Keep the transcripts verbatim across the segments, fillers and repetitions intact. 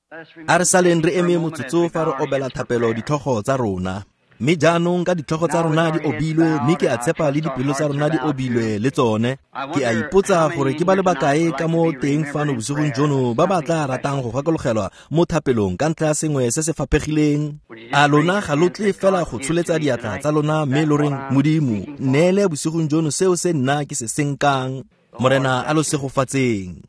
A re saleng re eme motsotso fa re obela thapelo ditlhogo tsa rona. Mme jaanong ka ditlhogo tsa rona di obilwe, mme ke a tshepa le dipelo tsa rona di obilwe le tsone. Ke a ipotsa gore ke ba le bakae ka mo teng fano bosigong jono ba ba tla ratang go gakologelwa mo thapelong ka ntlha ya sengwe se se faphegileng. A lona ga lo tle fela go tsholetsa diatla tsa lona mme lo reng, Modimo, nneele bosigong jono seo se nna ke se senkang. Morena a lo segofatseng.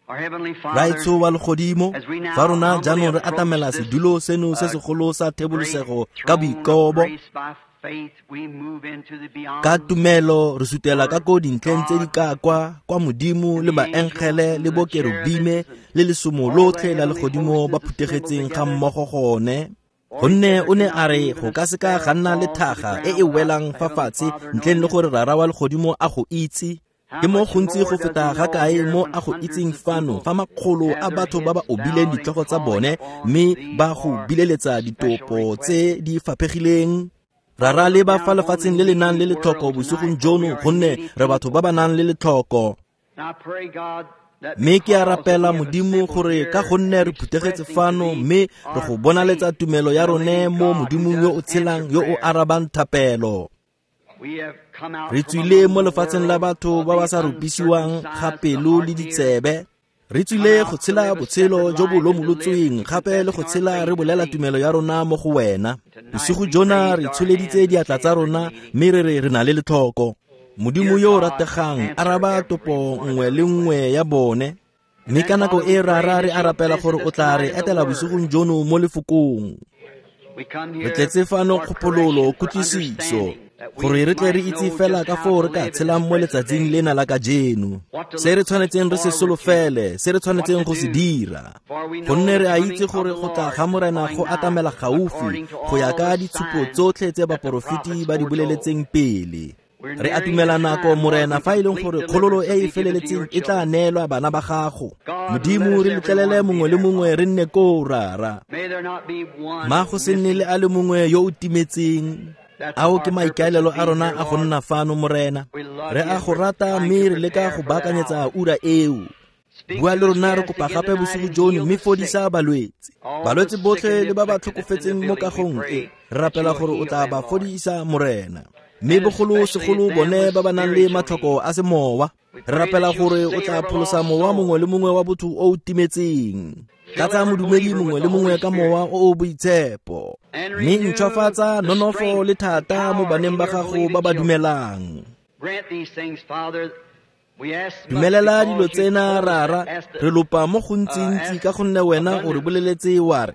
Raetsho wa legodimo, fa rona jaanong re atamela sedulo seno se segolo sa thebolosego ka boikobo, ka tumelo re sutela ka ko dintlheng tse di ka kwa kwa Modimo le baengele le bokerubime le lesomo lotlhe la legodimo ba phuthegetseng ga mmogo gone. Gonne o ne a re go ka seka ga nna le thaga e e welang fa fatshe ntleng le gore Rara wa legodimo a go itse. Ke mo gontsi go feta ga kae mo a go itseng fano fa makgolo a batho ba ba obileng ditlhogo tsa bone mme ba go bileletsa ditopo tse di faphegileng. Rara le ba fa lefatsheng le le nang le letlhoko bosigong jono, gonne re batho ba ba nang le letlhoko. Mme ke a rapela Modimo gore ka gonne re phuthegetse fano mme re go bonaletsa tumelo ya rone mo Modimong yo o tshelang yo o arabang thapelo. Re tswile mo lefatsheng la batho ba ba sa rupisiwang ga pelo le ditsebe. Re tswile go tshela botshelo jo bo lomolotsweng gape le go tshela re bolela tumelo ya rona mo go wena. Bosigo jona re tsholeditse diatla tsa rona mme re re re na le letlhoko. Modimo yo o rategang, araba topo nngwe le nngwe ya bone. Mme ka nako e Rara re a rapela gore o tla re etela bosigong jono mo lefokong. Re tletse fano kgopololo kutlwisiso, gore re tle re itse fela ka foo re ka tshelang mo letsatsing lena la kajeno. Se re tshwanetseng re se solofele, se re tshwanetseng go se dira. Gonne re a itse gore go tla ga Morena go atamela gaufi go ya ka ditshupo tsotlhe tse baporofeti ba di boleletseng pele. Re atumela nako Morena fa e leng gore kgololo e e feleletseng e tla neelwa bana ba gago. Modimo re letlelele mongwe le mongwe re nne koo Rara. Ma go se nne le a le mongwe yo o timetseng. Ao ke maikaelelo a rona a go nna fano Morena. Re a go rata mme re leka go baakanyetsa ura eo. Bua le rona re kopa gape bosigo jono mme fodisa balwetse. Balwetse botlhe le ba ba tlhokofetseng mo kagong e, re rapela gore o tla ba fodisa Morena. Mme bogolo segolo bone ba ba nang le matlhoko a semowa, re rapela gore o tla pholosa mowa mongwe le mongwe wa botho o o timetseng. Tlatsa modumedi mongwe le mongwe ka mowa o o boitshepo, mme ntšhwafatsa nonofo le thata mo baneng ba gago ba ba dumelang. Dumelela dilo tsena Rara, re lopa mo gontsintsi ka gonne wena o re boleletse wa re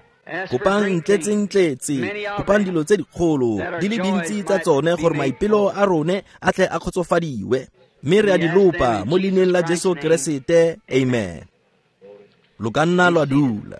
kopang ntletse-ntletse, kopang dilo tse dikgolo di le dintsi tsa tsone gore maipelo a rone a tle a kgotsofadiwe. Mme re a di lopa mo leineng la Jesu Keresete, amen. Lo ka nna lwa dula.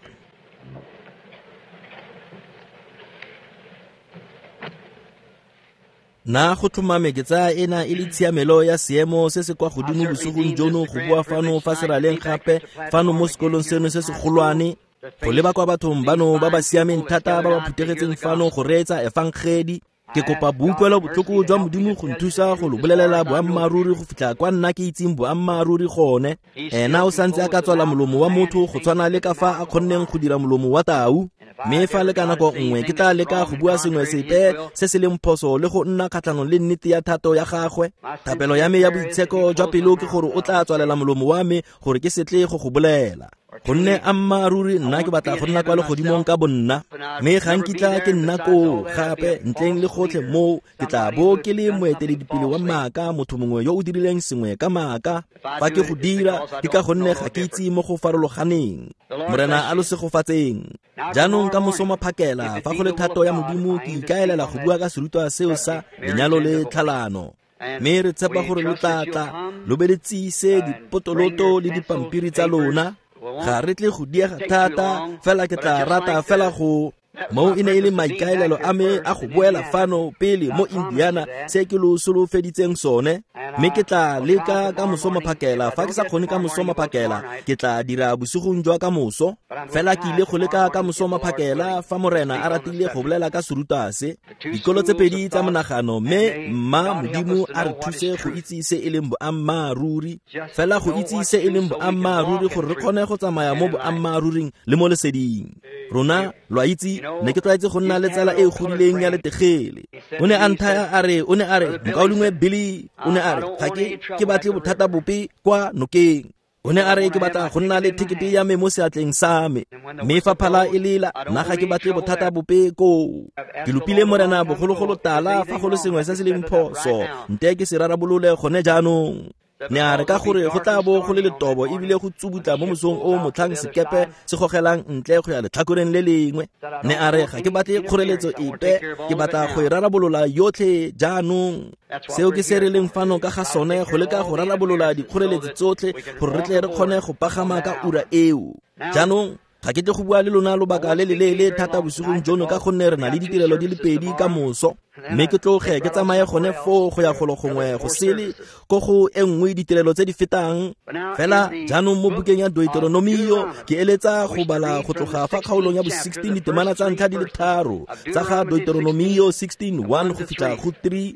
Nna go tlhomame ke tsaya ena e le tshiamelo ya seemo se se kwa godimo bosigong jono go bua fano fa seraleng gape fano mo sekolong seno se segolwane, go leba kwa bathong bano ba ba siameng thata ba ba phuthegetseng fano go reetsa efangedi. Ke kopa boutlwelo botlhoko jwa Modimo go nthusa go lo bolelela boammaaruri go fitlha kwa nna ke itseng boammaaruri gone. Ena o santse a ka tswala molomo wa motho go tshwana le ka fa a kgonneng go dira molomo wa tau. Mme fa le ka nako nngwe ke tla leka go bua sengwe sepe se se leng phoso le go nna kgatlhanong le nnete ya thato ya gagwe, thapelo ya me ya boitsheko jwa pelo ke gore o tla tswalela molomo wa me gore ke se tle go go bolela. Gonne ammaaruri nna ke batla go nna kwa legodimong ka bonna, mme ga nkitla ke nna koo gape ntleng le gotlhe moo ke tla bo ke le moeteledipele wa maaka, motho mongwe yo o dirileng sengwe ka maaka. Fa ke go dira ke ka gonne ga ke itse mo go farologaneng. Morena a lo segofatseng. Jaanong ka moso maphakela fa go le thato ya Modimo ke ikaelela go bua ka serutwa seo sa lenyalo le tlhalano. Mme re tshepa gore lo tla tla lo be le tsise dipotoloto le dipampiri tsa lona. Ga re tle go diega thata, fela ke tla rata fela go mo e ne e le maikaelelo a me a go boela fano pele mo Indiana se ke lo solofeditseng sone. Mme ke tla leka ka moso maphakela, fa ke sa kgone ka moso maphakela, ke tla dira bosigong jwa ka moso. Fela ke ile go leka ka moso maphakela fa Morena a ratile go bolela ka serutwa se, dikolo tse pedi tsa monagano, mme mma Modimo a re thuse go itse se e leng boammaaruri, fela go itse se e leng boammaaruri gore re kgone go tsamaya mo boammaaruring le mo leseding. Rona lo a itse, ne ke tlwaetse go nna le tsala e e godileng ya letegele. O ne a nthaya a re, o ne a re, mokaulengwe Billy, o ne a re, ga ke ke batle bothata bope kwa nokeng. O ne a re ke batla go nna le thekete ya me mo seatleng sa me, mme fa phala e lela, nna ga ke batle bothata bope koo. Ke lopile Morena bogologolo tala fa go le sengwe se se leng phoso, nte ke se rarabolole gone jaanong. Ne a re ka gore go tla bo go le letobo ebile go tsubutla mo mosong o motlhang sekepe se gogelang ntle go ya letlhakoreng le lengwe. Ne a re ga ke batle kgoreletso epe, ke batla go e rarabolola yotlhe jaanong. Seo ke se re leng fano ka ga sone, go leka go rarabolola dikgoreletsi tsotlhe gore re tle re kgone go pagama ka ura eo. Jaanong ga ke tle go bua le lona lobaka le le leele thata bosigong jono ka gonne re na le ditirelo di le pedi ka moso, mme ke tloge ke tsamaye gone foo go ya golo gongwe go sele ko go e nngwe ditirelo tse di fetang. Fela jaanong mo bukeng ya Deuteronomio ke eletsa go bala go tloga fa kgaolong ya bo sixteen ditemana tsa ntlha di le tharo tsa ga Deuteronomio sixteen one go fitlha go three.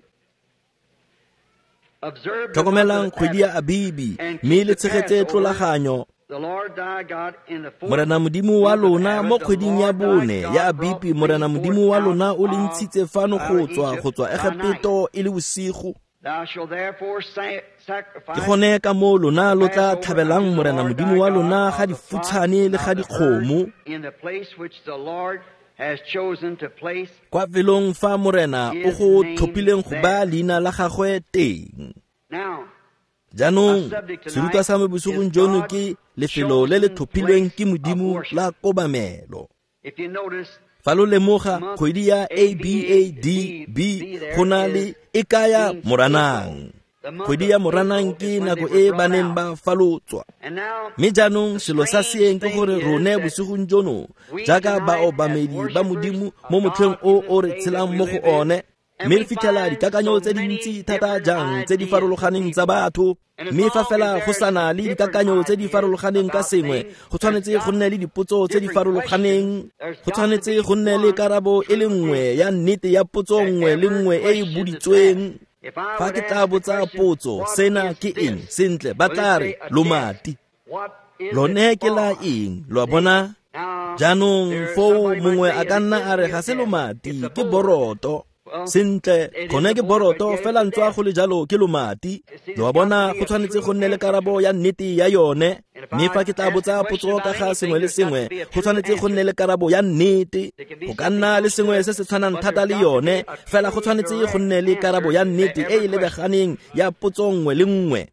Tlhokomelang kgwedi ya Abibi mme le tshegetse tlolaganyo. Morena Modimo wa lona mo kgweding ya bone ya Abibi, Morena Modimo wa lona o le ntshitse fano go tswa go tswa Egepeto e le bosigo. Ke gone ka moo lona lo tla tlhabelang Morena Modimo wa lona ga difutshane le ga dikgomo kwa felong fa Morena o go tlhophileng go baya leina la gagwe teng. Jaanong serutwa sa me bosigong jono ke lefelo le le tlhophilweng ke Modimo la kobamelo. Fa lo lemoga kgwedi ya A B A D B go na le e kaya Moranang. Kgwedi ya Moranang ke nako e ba neng ba falotswa. Mme jaanong selo sa seeng ke gore rone bosigong jono jaaka baobamedi ba Modimo mo motlheng o o re tshelang mo go one, mme re fitlhela dikakanyo tse dintsi thata jang tse di farologaneng tsa batho. Mme fa fela go sana le dikakanyo tse di farologaneng ka sengwe, go tshwanetse go nne le dipotso tse di farologaneng, go tshwanetse go nne le karabo e le nngwe ya nnete ya potso nngwe le nngwe e e boditsweng. Fa ke tla botsa potso, sena ke eng? Sentle, ba tla re lomati. Lone ke la eng? Lo a bona? Jaanong foo mongwe a ka nna a re ga se lomati, ke boroto. Sentle, gone ke boroto, fela ntswa go le jalo ke lomati. Lo a bona, go tshwanetse go nne le karabo ya nnete ya yone. Mme fa ke tla botsa potso ka ga sengwe le sengwe, go tshwanetse go nne le karabo ya nnete. Go ka nna le sengwe se se tshwanang thata le yone, fela go tshwanetse go nne le karabo ya nnete e e lebaganeng ya potso nngwe le nngwe.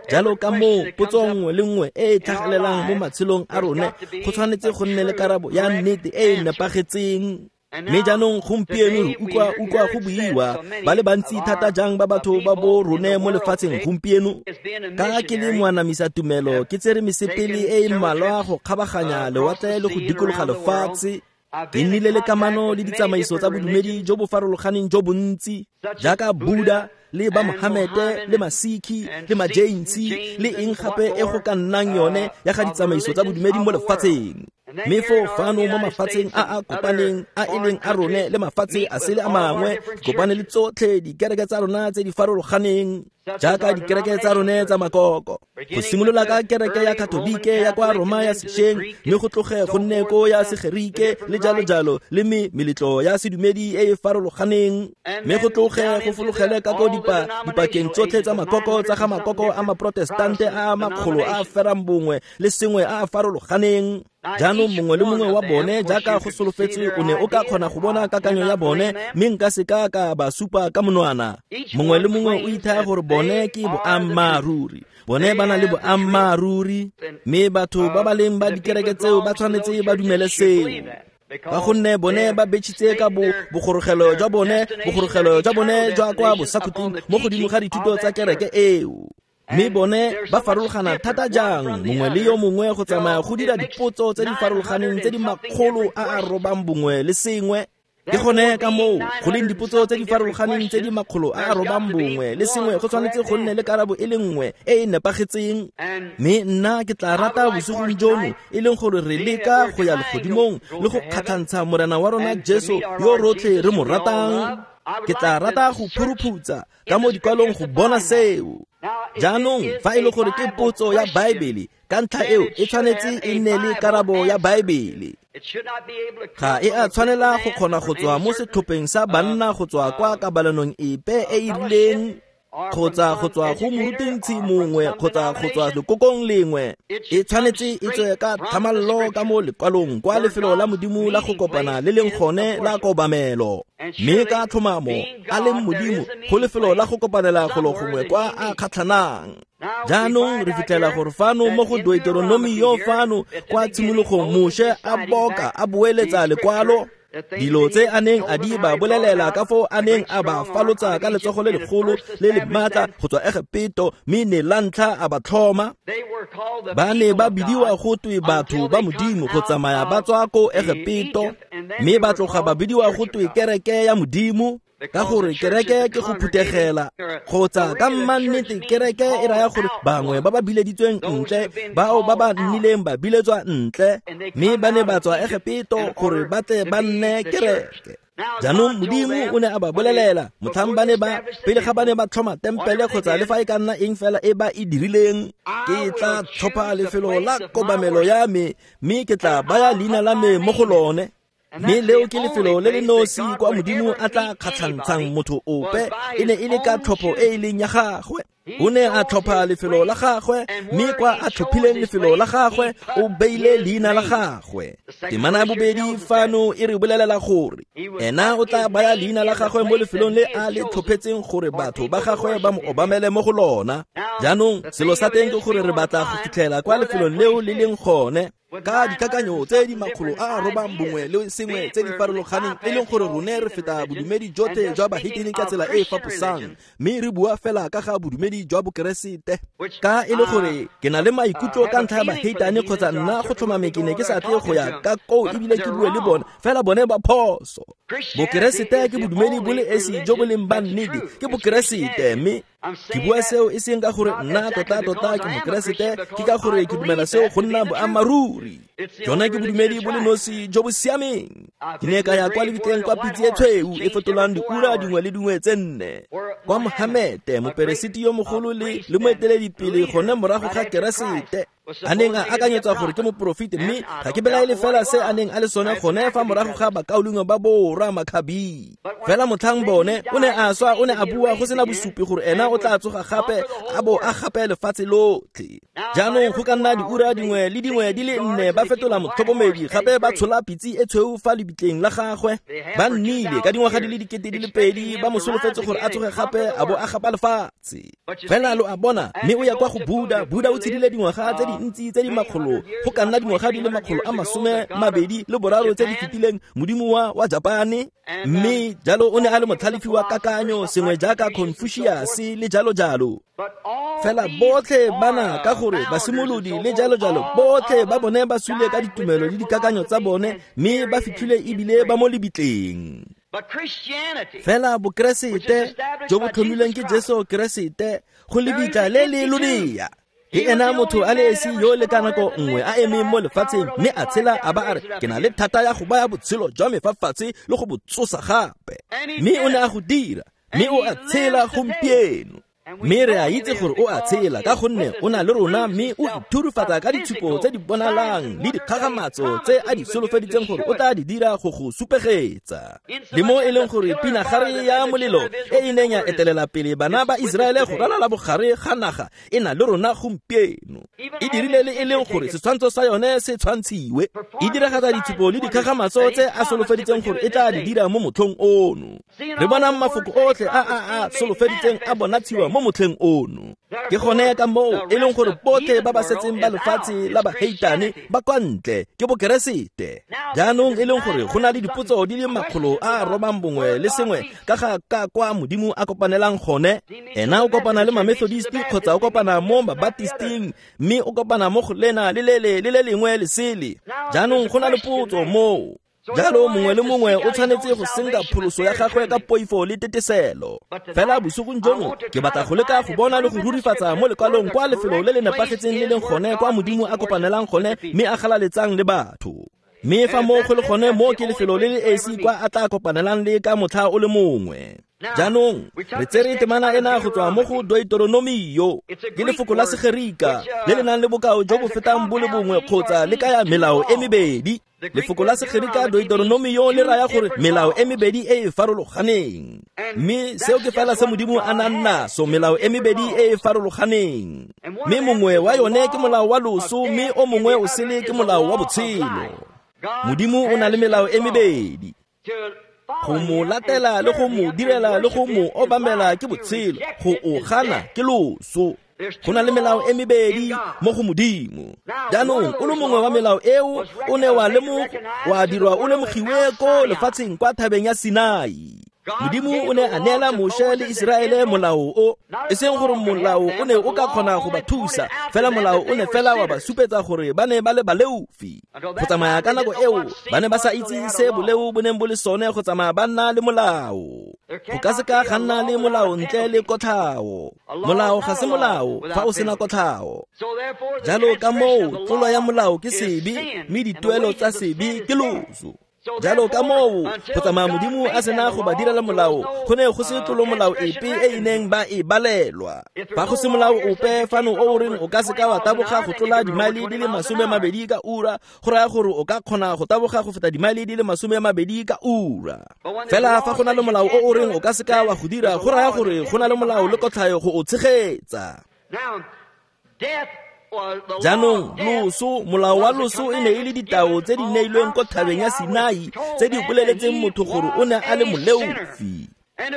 Jalo ka moo potso nngwe le nngwe e e tlhagelelang mo matshelong a rone, go tshwanetse go nne le karabo ya nnete e e nepagetseng. Mme jaanong gompieno re utlwa utlwa go buiwa ba le bantsi thata jang ba batho ba bo rone mo lefatsheng gompieno. Ka ke le moanamisa tumelo, ke tsere mesepele e e mmalwa go kgabaganya lewatle le go dikologa lefatshe. Ke nnile le kamano le ditsamaiso tsa bodumedi jo bo farologaneng jo bontsi, jaaka Buddha le ba Mohamete le Masikhi le Majainsi le eng gape e go ka nnang yone ya ga ditsamaiso tsa bodumedi mo lefatsheng. Mme foo fano mo mafatsheng a a kopaneng a e leng a rone le mafatshe a sele a mangwe, kopane le tsotlhe dikereke tsa rona tse di farologaneng, jaaka dikereke tsa rone tsa makoko. Go simolola ka kereke ya Katolike ya kwa Roma ya sešweng, mme go tloge go nne ko ya Segerike le jalo jalo, le me meletlo ya sedumedi e e farologaneng, mme go tloge go fologele ka ko dipa dipakeng tsotlhe tsa makoko tsa ga makoko a maprotestante a a makgolo a a ferang bongwe le sengwe a a farologaneng. Jaanong mongwe le mongwe wa bone jaaka go solofetswe o ne o ka kgona go bona kakanyo ya bone, mme nka se ka ka ba supa ka monwana. Mongwe le mongwe o ithaya gore bone ke boammaaruri, bone ba na le boammaaruri, mme batho ba ba leng ba dikereke tseo ba tshwanetse ba dumele seo. Ka gonne bone ba betšhitse ka bo bogorogelo jwa bone, bogorogelo jwa bone jwa kwa bosakhutleng mo godimo ga dithuto tsa kereke eo. Mme bone ba farologana thata jang mongwe le yo mongwe go tsamaya go dira dipotso tse di farologaneng tse di makgolo a a robang bongwe le sengwe. Ke gone ka moo go leng dipotso tse di farologaneng tse di makgolo a a robang bongwe le sengwe go tshwanetse go nne le karabo e le nngwe e e nepagetseng. Mme nna ke tla rata bosigong jono e leng gore re leka go ya legodimong le go kgatlhantsha Morena wa rona Jesu yo rotlhe re mo ratang. Ke tla rata go phuruphutsa ka mo dikwalong go bona seo. Jaanong fa e le gore ke potso ya Baebele, ka ntlha eo e tshwanetse e nne le karabo ya Baebele. Ga e a tshwanela go kgona go tswa mo setlhopheng sa banna go tswa kwa kabalanong epe e e rileng kgotsa go tswa go morutintshi mongwe kgotsa go tswa lekokong lengwe. E tshwanetse e tswe ka tlhamallo ka mo lekwalong kwa lefelo la Modimo la go kopana le leng gone la kobamelo. Mme ka tlhomamo a leng Modimo go lefelo la go kopanela golo gongwe kwa a kgatlhanang. Jaanong re fitlhela gore fano mo go Deuteronomio fano kwa tshimologong Moshe a boka a boeletsa lekwalo dilo tse a neng a di ba bolelela ka foo a neng a ba falotsa ka letsogo le legolo le le maatla go tswa Egepeto, mme ne la ntlha a ba tlhoma. Ba ne ba bidiwa go twe batho ba Modimo go tsamaya ba tswa ko Egepeto, mme ba tloga ba bidiwa go twe kereke ya Modimo, ka gore kereke ke go phuthegela kgotsa ka mmannete kereke e raya gore bangwe ba ba bileditsweng ntle, bao ba ba nnileng ba biletswa ntle, mme ba ne ba tswa Egepeto gore ba tle ba nne kereke. Jaanong Modimo o ne a ba bolelela motlhang ba ne ba pele ga ba ne ba tlhoma tempele kgotsa le fa e ka nna eng fela e ba e dirileng, ke tla tlhopha lefelo la kobamelo ya me mme ke tla baya leina la me mo go lone. Mme leo ke lefelo le le nosi kwa Modimo a tla kgatlhantshang motho ope, e ne e le ka tlhopho e e leng ya gagwe. O ne a tlhopha lefelo la gagwe, mme kwa a tlhophileng lefelo la gagwe o beile leina la gagwe. Temana ya bobedi fano e re bolelela gore ena o tla baya leina la gagwe mo lefelong le a le tlhophetseng gore batho ba gagwe ba mo obamele mo go lona. Jaanong selo sa teng ke gore re batla go fitlhela kwa lefelong leo le leng gone ka dikakanyo tse di makgolo a a robang bongwe le sengwe tse di farologaneng, e leng gore rone re feta bodumedi jotlhe jwa bahetene ka tsela e e faposang, mme re bua fela ka ga bodumedi jwa bokeresete. Ka e le gore ke na le maikutlo ka ntlha ya bahetane kgotsa nna go tlhomame ke ne ke sa tle go ya ka koo ebile ke bue le bone, fela bone ba phoso. Bokeresete ke bodumedi bo le esi jo bo leng ba nnete, ke bokeresete, mme ke bua seo e seng ka gore nna tota-tota ke mokeresete, ke ka gore ke dumela seo go nna boammaaruri. Jona ke bodumedi bo le nosi jo bo siameng. Ke ne ka ya kwa lebitleng kwa pitse e tshweu e fetolang diura dingwe le dingwe tse nne, kwa Mohamete moperesiti yo mogolo le le moeteledipele gone morago ga Keresete a neng a akanyetswa gore ke moporofeti, mme ga ke belaele fela se a neng a le sone gone fa morago ga bakaulengwe ba borra Makhabi. Fela motlhang bone o ne a swa, o ne a bua go sena bosupi gore ena o tla tsoga gape a bo a gape lefatshe lotlhe. Jaanong go ka nna diura dingwe le dingwe di le nne ba fetola motlhokomedi gape ba tshola pitse e tshweu fa lebitleng la gagwe. Ba nnile ka dingwaga di le dikete di le pedi ba mo solofetse gore a tsoge gape a bo a gapa lefatshe. Fela lo a bona, mme o ya kwa go Buddha. Buddha o tshedile dingwaga tse dintsi tse di makgolo, go ka nna dingwaga di le makgolo a masome mabedi le boraro tse di fetileng, modimo wa wa Japane. Mme jalo o ne a le motlhalefi wa kakanyo sengwe jaaka Confucius le jalo jalo. Fela botlhe bana ka gore basimolodi le jalo jalo botlhe ba bone ba sule ka ditumelo le dikakanyo tsa bone, mme ba fitlhile ebile ba mo lebitleng. Fela bokeresete jo bo tlhomilweng ke Jesu Keresete go lebitla le le lolea. Ke ena motho a le esi yo le ka nako nngwe a emeng mo lefatsheng mme a tshela a ba a re ke na le thata ya go baya botshelo jwa me fa fatshe le go bo tsosa gape. Mme o ne a go dira, mme o a tshela gompieno. Mme re a itse gore o a tshela ka gonne o na le rona, mme o ithurufatsa ka ditshupo tse di bonalang le dikgagamatso tse a di solofeditseng gore o tla di dira go go supegetsa. Le mo e leng gore pinagare ya molelo e e neng ya etelela pele bana ba Iseraele go ralala bogare ga naga e na le rona gompieno. E dirile le e leng gore setshwantsho sa yone se tshwantshiwe. E diragatsa ditshupo le dikgagamatso tse a solofeditseng gore e tla di dira mo motlhong ono. Re bonang mafoko otlhe a a a solofeditseng a bonatshiwa mo motlheng ono. Ke gone ka moo e leng gore botlhe ba ba setseng ba lefatshe la baheitane ba kwa ntle ke bokeresete. Jaanong e leng gore go na le dipotso di le makgolo a a robang bongwe le sengwe ka ga ka kwa Modimo a kopanelang gone. Ena o kopana le ma-Methodist kgotsa o kopana mo ba-Baptisting, mme o kopana mo go lena le lele le le lengwe le sele. Jaanong go na le potso moo. Jalo mongwe le mongwe o tshwanetse go senka pholoso ya gagwe ka poifo le teteselo. Fela bosigong jono ke batla go leka go bona le go rurifatsa mo lekwalong kwa lefelo le le nepagetseng le leng gone kwa Modimo a kopanelang gone mme a galaletsang le batho. Mme fa mo go le gone mo ke lefelo le le esi kwa a tla kopanelang le ka motlha o le mongwe. Jaanong re tsere temana ena go tswa mo go Deuteronomio, ke lefoko la Segerika le le nang le bokao jo bo fetang bo le bongwe kgotsa le kaya melao e mebedi. Lefoko la Segerika Deuteronomio le raya gore melao e mebedi e e farologaneng, mme seo ke fela se Modimo a nang naso, melao e mebedi e e farologaneng. Mme mongwe wa yone ke molao wa loso, mme o mongwe o sele ke molao wa botshelo. Modimo o na le melao e mebedi. Go mo latela le go mo direla le go mo obamela ke botshelo, go o gana ke loso. Go na le melao e mebedi mo go Modimo. Jaanong o le mongwe wa melao eo o ne wa lemogo wa dirwa o lemogiwe ko lefatsheng kwa thabeng ya Sinai. Modimo o ne a neela Moshe le Iseraele molao o, e seng gore molao o ne o ka kgona go ba thusa, fela molao o ne fela wa ba supetsa gore ba ne ba le baleofi. Go tsamaya ka nako eo ba ne ba sa itse se boleo bo neng bo le sone go tsamaya ba nna le molao. Go ka se ka ga nna le molao ntle le kotlhao. Molao ga se molao fa o sena kotlhao. Jalo ka moo tlolo ya molao ke sebe, mme dituelo tsa sebe ke loso. Jalo ka moo go tsamaya Modimo a sena go ba direla molao, go ne go se tlolo molao epe e e neng ba e balelwa. Fa go se molao ope fano o o reng o ka seka wa taboga go tlola dimaele di le masome mabedi ka ura, go raya gore o ka kgona go taboga go feta dimaele di le masome mabedi ka ura. Fela fa go na le molao o o reng o ka seka wa go dira, go raya gore go na le molao le kotlhayo go o tshegetsa. Jaanong loso, molao wa loso e ne e le ditao tse di neilweng ko thabeng ya Sinai tse di boleletseng motho gore o ne a le moleofi,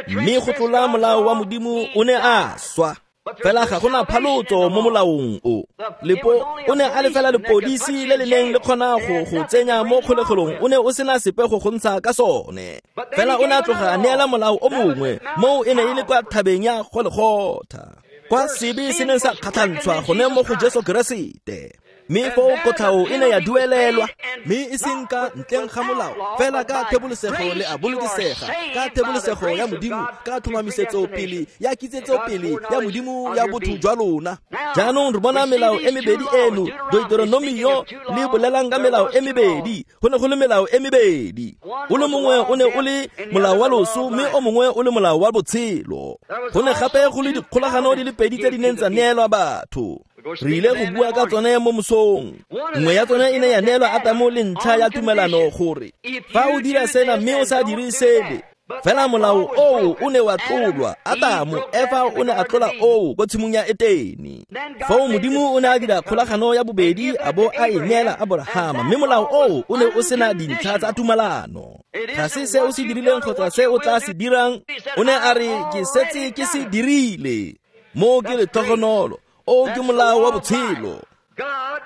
mme go tlola molao wa Modimo o ne a swa. Fela ga gona phalotso mo molaong o. Lepo o ne a le fela lepodisi le le neng le kgona go go tsenya mo kgolegelong, o ne o sena sepe go go ntsha ka sone. Fela o ne a tloga a neela molao o mongwe, moo e ne e le kwa thabeng ya Golgotha, kwa sebe se neng sa kgatlhantshwa gone mo go Jesu Keresete. Mme foo kotlhao e ne ya duelelwa, mme e seng ka ntleng ga molao, fela ka thebolosego le a bolokesega, ka thebolosego ya Modimo, ka tlhomamisetso pele ya kitsetso pele ya Modimo ya botho jwa lona. Jaanong re bona melao e mebedi eno, Deuteronomio le bolelang ka melao e mebedi. Go ne go le melao e mebedi, o le mongwe o ne o le molao wa loso, mme o mongwe o le molao wa botshelo. Go ne gape go le dikgolagano di le pedi tse di neng tsa neelwa batho. Re ile go bua ka tsone mo mosong. Nngwe ya tsone e ne ya neelwa Atamo le ntlha ya tumelano gore fa o dira sena mme o sa dire sele. Fela molao oo o ne wa tlolwa. Atamo Efa o ne a tlola oo ko tshimong ya Etene. Foo Modimo o ne a dira kgolagano ya bobedi a bo a e neela Aborahama, mme molao oo o ne o sena dintlha tsa tumelano. Ga se se o se dirileng kgotsa se o tla se dirang, o ne a re ke setse ke se dirile. Moo ke letlhogonolo, o ke molao wa botshelo.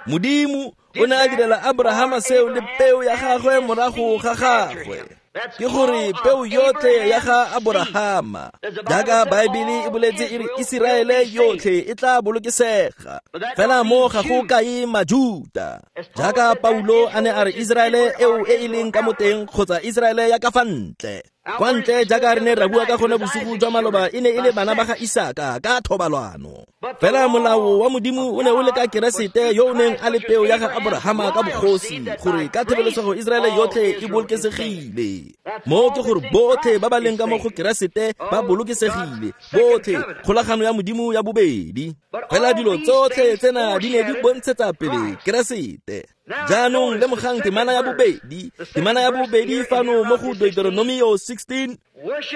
Modimo o ne a direla Abrahama seo le peo ya gagwe morago ga gagwe, ke gore peo yotlhe ya ga Aborahama. Jaaka Baebele e boletse e re Iseraele yotlhe e tla bolokesega, fela mo ga go kae Majuta. Jaaka Paulo a ne a re Iseraele eo e e leng ka mo teng kgotsa Iseraele ya ka fa ntle. Kwa ntle jaaka re ne ra bua ka gone bosigo jwa maloba, e ne e le bana ba ga Isaka ka thobalwano. Fela molao wa Modimo o ne o le ka Keresete yo o neng a le peo ya ga Aborahama ka bogosi, gore ka thebolosego Iseraele yotlhe e bolokesegile. Mo ke gore botlhe ba ba leng ka mo go Keresete ba bolokesegile, botlhe, kgolagano ya Modimo ya bobedi. Fela dilo tsotlhe tsena di ne di bontshetsa pele Keresete. Jaanong lemogang temana ya bobedi, temana ya bobedi fano mo go Deuteronomio sixteen,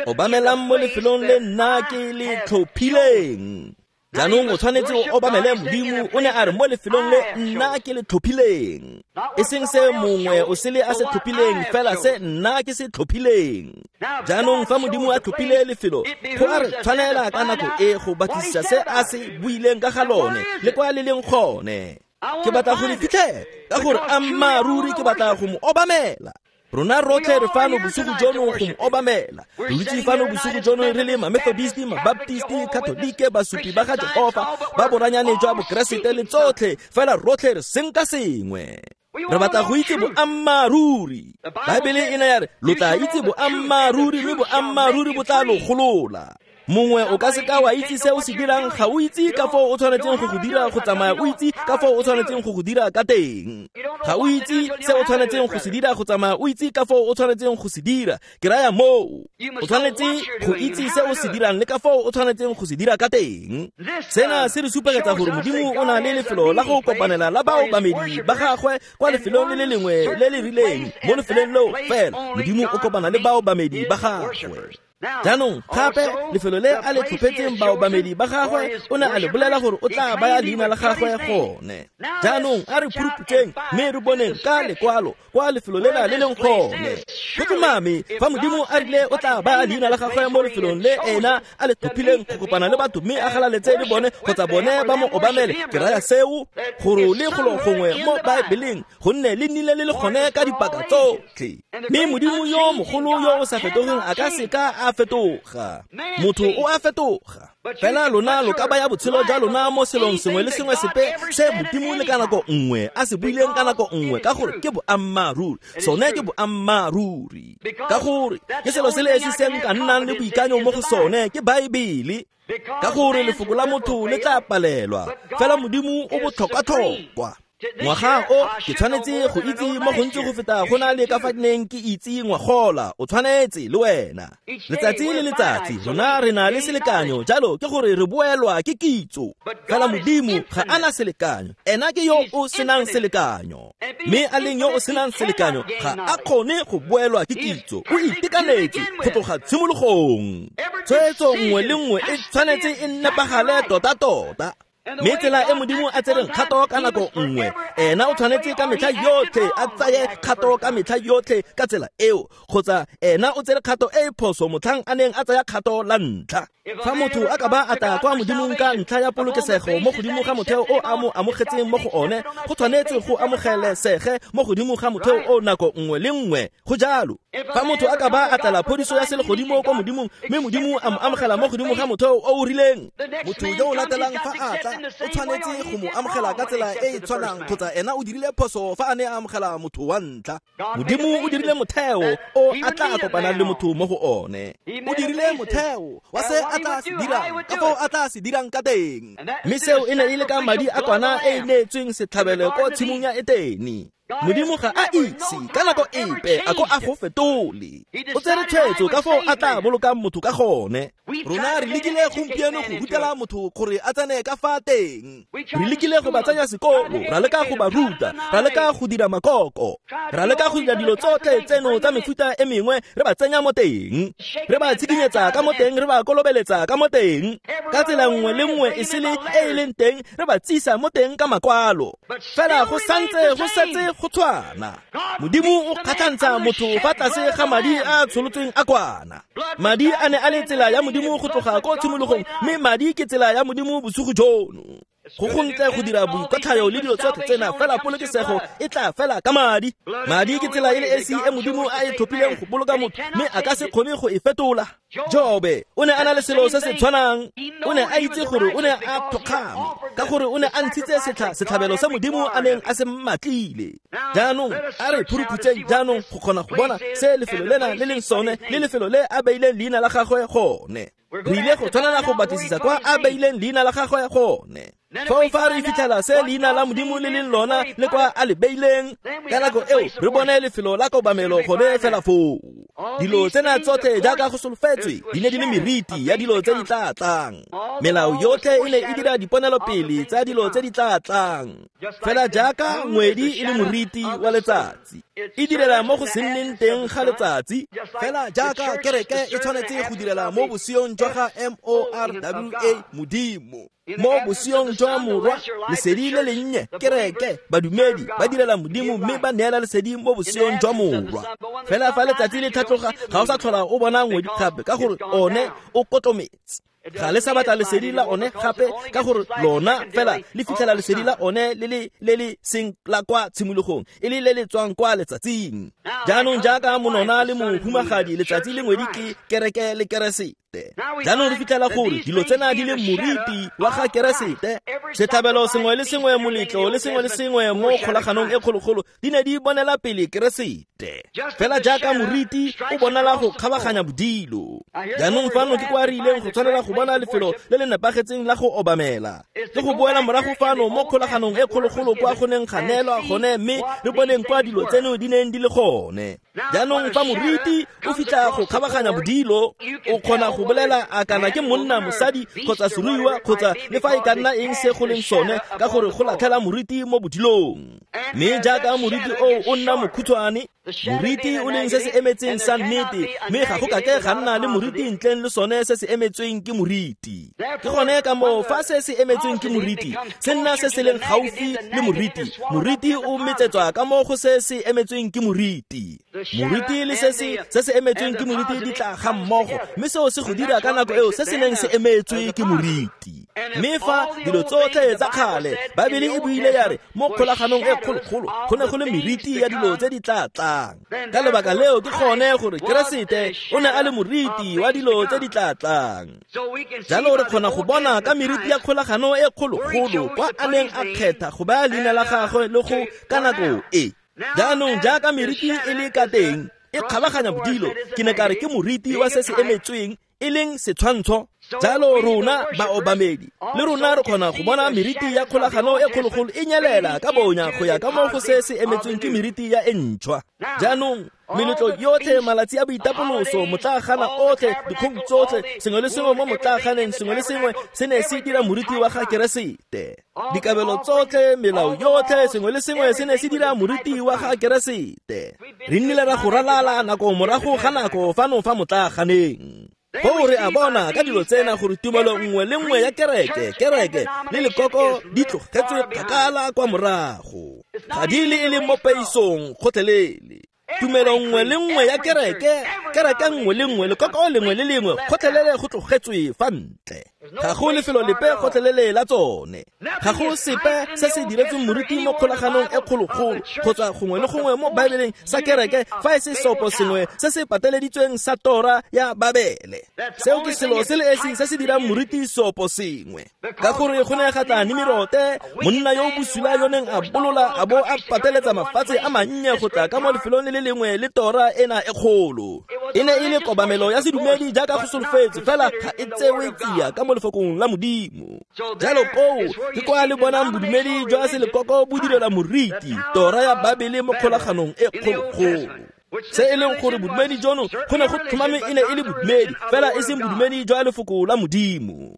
obamelang mo lefelong le nna ke le tlhophileng. Jaanong o tshwanetse o obamele Modimo, o ne a re mo lefelong le nna ke le tlhophileng, e seng se mongwe o sele a se tlhophileng, fela se nna ke se tlhophileng. Jaanong fa Modimo a tlhophile lefelo, go a re tshwanela ka nako e go batlisisa se a se buileng ka ga lone le kwa le leng gone. Ke batla go le fitlhela ka gore ammaaruri ke batla go mo obamela. Rona rotlhe re fano bosigo jono go mo obamela. Re dutse fano bosigo jono re le ma-Methodist, ma-Baptist, Katolike, basupi ba ga Jehofa, ba boranyane jwa Bokeresete le tsotlhe, fela rotlhe re senka sengwe. Re batla go itse boammaaruri. Baebele e ne ya re lo tla itse boammaaruri mme boammaaruri bo tla lo golola. Mongwe o ka seka wa itse se o se dirang, ga o itse ka foo o tshwanetseng go go dira go tsamaya o itse ka foo o tshwanetseng go go dira ka teng. Ga o itse se o tshwanetseng go se dira go tsamaya o itse ka foo o tshwanetseng go se dira. Ke raya moo o tshwanetse go itse se o se dirang le ka foo o tshwanetseng go se dira ka teng. Sena se re supegetsa gore Modimo o na le lefelo la go kopanela la baobamedi ba gagwe kwa lefelong le le lengwe le le rileng. Mo lefelong leo fela Modimo o kopana le baobamedi ba gagwe. Jaanong gape lefelo le a le tlhophetseng baobamedi ba gagwe o ne a le bolela gore o tla baya leina la gagwe gone. Jaanong a re phuruphuteng mme re boneng ka lekwalo kwa lefelo lena le leng gone. Go tlhomame fa Modimo a rile o tla baya leina la gagwe mo lefelong le ena a le tlhophileng go kopana le batho mme a galaletse le bone kgotsa bone ba mo obamele, ke raya seo gore le golo gongwe mo Baebeleng gonne le nnile le le gone ka dipaka tsotlhe. Mme Modimo yo mogolo yo o sa fetogeng a ka seka a fetoga. Motho o a fetoga. Fela lona lo ka baya botshelo jwa lona mo selong sengwe le sengwe sepe se Modimo le ka nako nngwe a se buileng ka nako nngwe, ka gore ke boammaaruri. Sone ke boammaaruri. Ka gore ke selo se le esi se nka nnang le boikanyo mo go sone ke Baebele. Ka gore lefoko la motho le tla palelwa, fela Modimo o botlhokwa-tlhokwa. Ngwaga o ke tshwanetse go itse mo gontsi go feta go na le ka fa neng ke itse ngwagola. O tshwanetse le wena. Letsatsi le letsatsi rona re na le selekanyo, jalo ke gore re boelwa ke kitso. Fela Modimo ga a na selekanyo, ena ke yo o senang selekanyo. Mme a leng yo o senang selekanyo ga a kgone go boelwa ke kitso. O itekanetse go tloga tshimologong. Tshwetso nngwe le nngwe e tshwanetse e nepagale tota-tota. Mme tsela e Modimo a tsereng kgato ka nako nngwe, ena o tshwanetse ka metlha yotlhe a tsaye kgato ka metlha yotlhe ka tsela eo, kgotsa ena o tsere kgato e e phoso motlhang a neng a tsaya kgato la ntlha. Fa motho a ka ba a tla kwa Modimong ka ntlha ya polokesego mo godimo ga motheo o a mo amogetseng mo go one, go tshwanetse go amogelesege mo godimo ga motheo o nako nngwe le nngwe. Go jalo. Fa motho a ka ba a tlela phodiso ya selegodimo kwa Modimong mme Modimo a mo amogela mo godimo ga motheo o o rileng, motho yo o latelang fa a tla o tshwanetse go mo amogela ka tsela e e tshwanang, kgotsa ena o dirile phoso fa a ne a amogela motho wa ntlha. Modimo o dirile motheo o a tla kopanang le motho mo go one. O dirile motheo wa se a tla se dirang, ka foo a tla se dirang ka teng. Mme seo e ne e le ka madi a kwana e e neetsweng setlhabelo ko tshimong ya Etene. Modimo ga a itse ka nako epe a ko a go fetole. O tsere tshwetso ka foo a tla bolokang motho ka gone. Rona re lekile gompieno go rutela motho gore a tsene ka fa teng. Re lekile go ba tsenya sekolo, ra leka go ba ruta, ra leka go dira makoko, ra leka go dira dilo tsotlhe tseno tsa mefuta e mengwe, re ba tsenya mo teng, re ba tshikinyetsa ka mo teng, re ba kolobeletsa ka mo teng, ka tsela nngwe le nngwe e sele e e leng teng, re ba tsisa mo teng ka makwalo. Fela go santse go setse go tshwana. Modimo o kgatlhantsha motho fa tlase ga madi a tsholotsweng a kwana. Madi a ne a le tsela ya Modimo go tloga ko tshimologong, mme madi ke tsela ya Modimo bosigo jono. Go gontle go dira boikotlhayo le dilo tsotlhe tsena, fela polokesego e tla fela ka madi. Madi ke tsela e le esi e Modimo a e tlhophileng go boloka motho, mme a ka se kgone go e fetola. Jobe o ne a na le selo se se tshwanang. O ne a itse gore o ne a thokgame ka gore o ne a ntshitse setlha setlhabelo sa Modimo a neng a se mmatlile. Jaanong a re phuruphutseng jaanong go kgona go bona se lefelo lena le leng sone le lefelo le a beileng leina la gagwe gone. Re ile go tshwanela go batlisisa kwa a beileng leina la gagwe gone. Foo fa re fitlhela se leina la Modimo le leng lona le kwa a le beileng, ka nako eo re bone lefelo la kobamelo gone fela foo. Dilo tsena tsotlhe jaaka go solofetswe di ne di le meriti ya dilo tse di tla tlang. Melao yotlhe e ne e dira diponelopele tsa dilo tse di tla tlang, fela jaaka ngwedi e le moriti wa letsatsi e direla mo go se nneng teng ga letsatsi, fela jaaka kereke e tshwanetse go direla mo boseong jwa ga M O R W A Modimo. Mo boseong jwa Morwa, lesedi le lennye, kereke, badumedi ba direla Modimo mme ba neela lesedi mo boseong jwa Morwa. Fela fa letsatsi le tlhatloga, ga o sa tlhola o bona ngwedi gape ka gore one o kotlometse. Ga le sa batla lesedi la one gape ka gore lona fela le fitlhela lesedi la one le le le le seng la kwa tshimologong, e le le le tswang kwa letsatsing. Jaanong jaaka monona le mohumagadi, letsatsi le ngwedi ke kereke le keresete. Keresete. Jaanong re fitlhela gore dilo tsena di le moriti wa ga Keresete. Setlhabelo sengwe le sengwe, moletlo le sengwe le sengwe mo kgolaganong e kgologolo di ne di bonela pele Keresete. Fela jaaka moriti o bonala go kgabaganya bodilo. Jaanong fano ke kwa re ileng go tshwanela go bona lefelo le le nepagetseng la go obamela. Le go boela morago fano mo kgolaganong e kgologolo kwa go neng ga neelwa gone, mme re boneng kwa dilo tseno di neng di le gone. Jaanong fa moriti o fitlha go kgabaganya bodilo, o kgona go bolela a kana ke monna, mosadi kgotsa seruiwa kgotsa le fa e ka nna eng se go leng sone, ka gore go latlhela moriti mo bodilong. Mme jaaka moriti oo o nna mokhutshwane, moriti o leng se se emetseng sa nnete, mme ga go kake ga nna le moriti ntleng le sone se se emetsweng ke moriti. Ke gone ka moo fa se se emetsweng ke moriti se nna se se leng gaufi le moriti, moriti o metsetswa ka mo go se se emetsweng ke moriti. Moriti le se se se se emetsweng ke moriti di tla ga mmogo, mme seo se go dira ka nako eo se se neng se emetswe ke moriti. Mme fa dilo tsotlhe tsa kgale, Baebele e buile ya re mo kgolaganong e kgologolo go ne go le meriti ya dilo tse di tla tlang. Ka lebaka leo ke gone gore Keresete o ne a le moriti wa dilo tse di tla tlang. Jalo re kgona go bona ka meriti ya kgolagano e kgologolo kwa a neng a kgetha go baya leina la gagwe le go ka nako e. Jaanong jaaka meriti e le ka teng e kgabaganya bodilo, ke ne ka re ke moriti wa se se emetsweng e leng setshwantsho. Jalo rona baobamedi le rona re kgona go bona meriti ya kgolagano e kgologolo e nyelela ka bonya go ya ka mo go se se emetsweng ke meriti ya e ntšhwa. Jaanong meletlo yotlhe, malatsi a boitapoloso, motlaagana otlhe, dikgong tsotlhe, sengwe le sengwe mo motlaaganeng, sengwe le sengwe se ne se dira moriti wa ga Keresete. Dikabelo tsotlhe, melao yotlhe, sengwe le sengwe se ne se dira moriti wa ga Keresete. Re nnile ra go ralala nako morago ga nako fano fa motlaaganeng. Foo re a bona ka dilo tsena gore tumelo nngwe le nngwe ya kereke, kereke le lekoko di tlogetswe kgakala kwa morago. Ga di le e le mo peisong gotlhelele. Tumelo nngwe le nngwe ya kereke, kereke nngwe le nngwe, lekoko lengwe le lengwe gotlhelele go tlogetswe fa ntle. Ga go lefelo lepe gotlhelele la tsone. Ga go sepe se se diretsweng moriti mo kgolaganong e kgologolo kgotsa gongwe le gongwe mo Baebeleng sa kereke fa e se sopo sengwe se se pateleditsweng sa tora ya Babele. Seo ke selo se le esi se se dirang moriti sopo sengwe. Ka gore go ne ga tla Nimirote, monna yo o bosula yo neng a bolola a bo a pateletsa mafatshe a mannye go tla ka mo lefelong le le lengwe le tora ena e kgolo. E ne e le kobamelo ya sedumedi jaaka go solofetse, fela ga e tsewe tsia ka mo lefokong la Modimo. Jalo koo ke kwa le bonang bodumedi jwa selekoko bo direla moriti tora ya Babele mo kgolaganong e kgologolo. Se e leng gore bodumedi jono go ne go tlhomame e ne e le bodumedi, fela e seng bodumedi jwa lefoko la Modimo.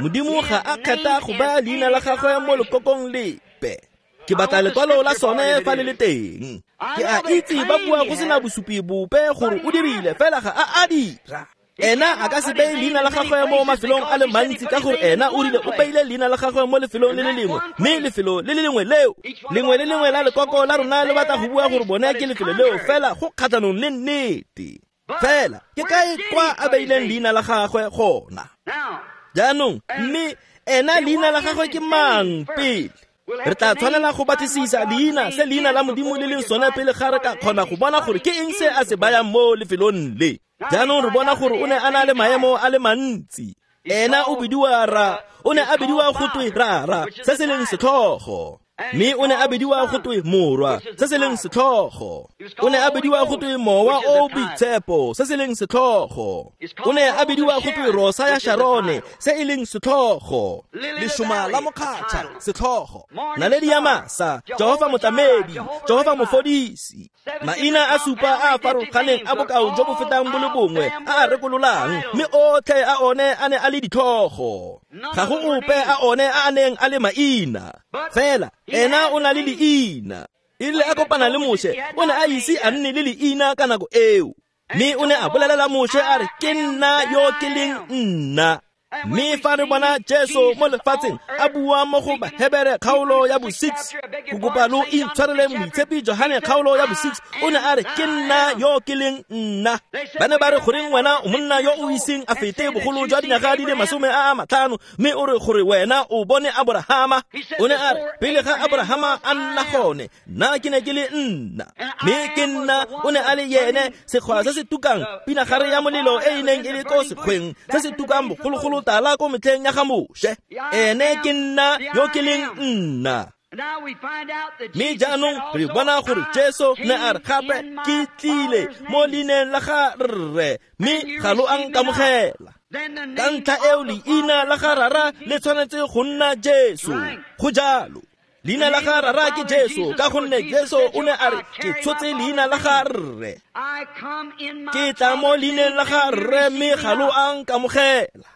Modimo ga a kgetha go baya leina la gagwe mo lekokong lepe. Ke batla lekwalo la sone fa le le teng. Ke a itse ba bua go sena bosupi bope gore o dirile, fela ga a a dira. Ena a ka se beye leina la gagwe mo mafelong a le mantsi ka gore ena o rile o beile leina la gagwe mo lefelong le le lengwe, mme lefelo le le lengwe leo, lengwe le lengwe la lekoko la rona le batla go bua gore bone ke lefelo leo, fela go kgatlhanong le nnete. Fela ke kae kwa a beileng leina la gagwe gona? Jaanong mme ena leina la gagwe ke mang pele? Re tla tshwanela go batlisisa leina se leina la Modimo le leng sone pele ga re ka kgona go bona gore ke eng se a se bayang mo lefelong le. Jaanong re bona gore o ne a na le maemo a le mantsi. Ena o bidiwa ra, o ne a bidiwa go twe rara, se se leng setlhogo. Mme o ne a bidiwa go twe morwa, se se leng setlhogo. O ne a bidiwa go twe mowa o boitshepo, se se leng setlhogo. O ne a bidiwa go twe rosa ya Sharone, se e leng setlhogo. Lešoma la mokgatšha, setlhogo. Naledi ya masa, Jehofa motlamedi, Jehofa mofodisi. Maina a supa a a farologaneng a bokao jo bo fetang bo le bongwe a a rekololang, mme otlhe a one a ne a le ditlhogo. Ga go ope a one a a neng a le maina. Fela ena o na le leina. E rile a kopana le Moshe, o ne a ise a nne le leina ka nako eo. Mme o ne a bolelela Moshe a re, ke nna yo ke leng nna. Mme fa re bona Jesu mo lefatsheng a bua mo go Bahebere kgaolo ya bo six, go kopa lo intshwarele Moitshepi Johane kgaolo ya bo six, o ne a re ke nna yo ke leng nna. Ba ne ba re goreng wena o monna yo o iseng a fete bogolo jwa dinyaga di le masome a a matlhano, mme o re gore wena o bone Aborahama. O ne a re pele ga Aborahama a nna gone, nna ke ne ke le nna. Mme ke nna o ne a le yene sekgwa se se tukang pinagare ya molelo e e neng e le ko sekgweng se se tukang bogologolo tala ko metlheng ya ga Moshe. Ene ke nna yo ke leng nna. Mme jaanong re bona gore Jesu ne a re gape ke tlile mo leineng la ga Rre, mme ga lo a nkamogela. Ka ntlha eo leina la ga Rara le tshwanetse go nna Jesu. Go jalo. Leina la ga Rara ke Jesu, ka gonne Jesu o ne a re ke tshotse leina la ga Rre. Ke tla mo leineng la ga Rre, mme ga lo a nkamogela.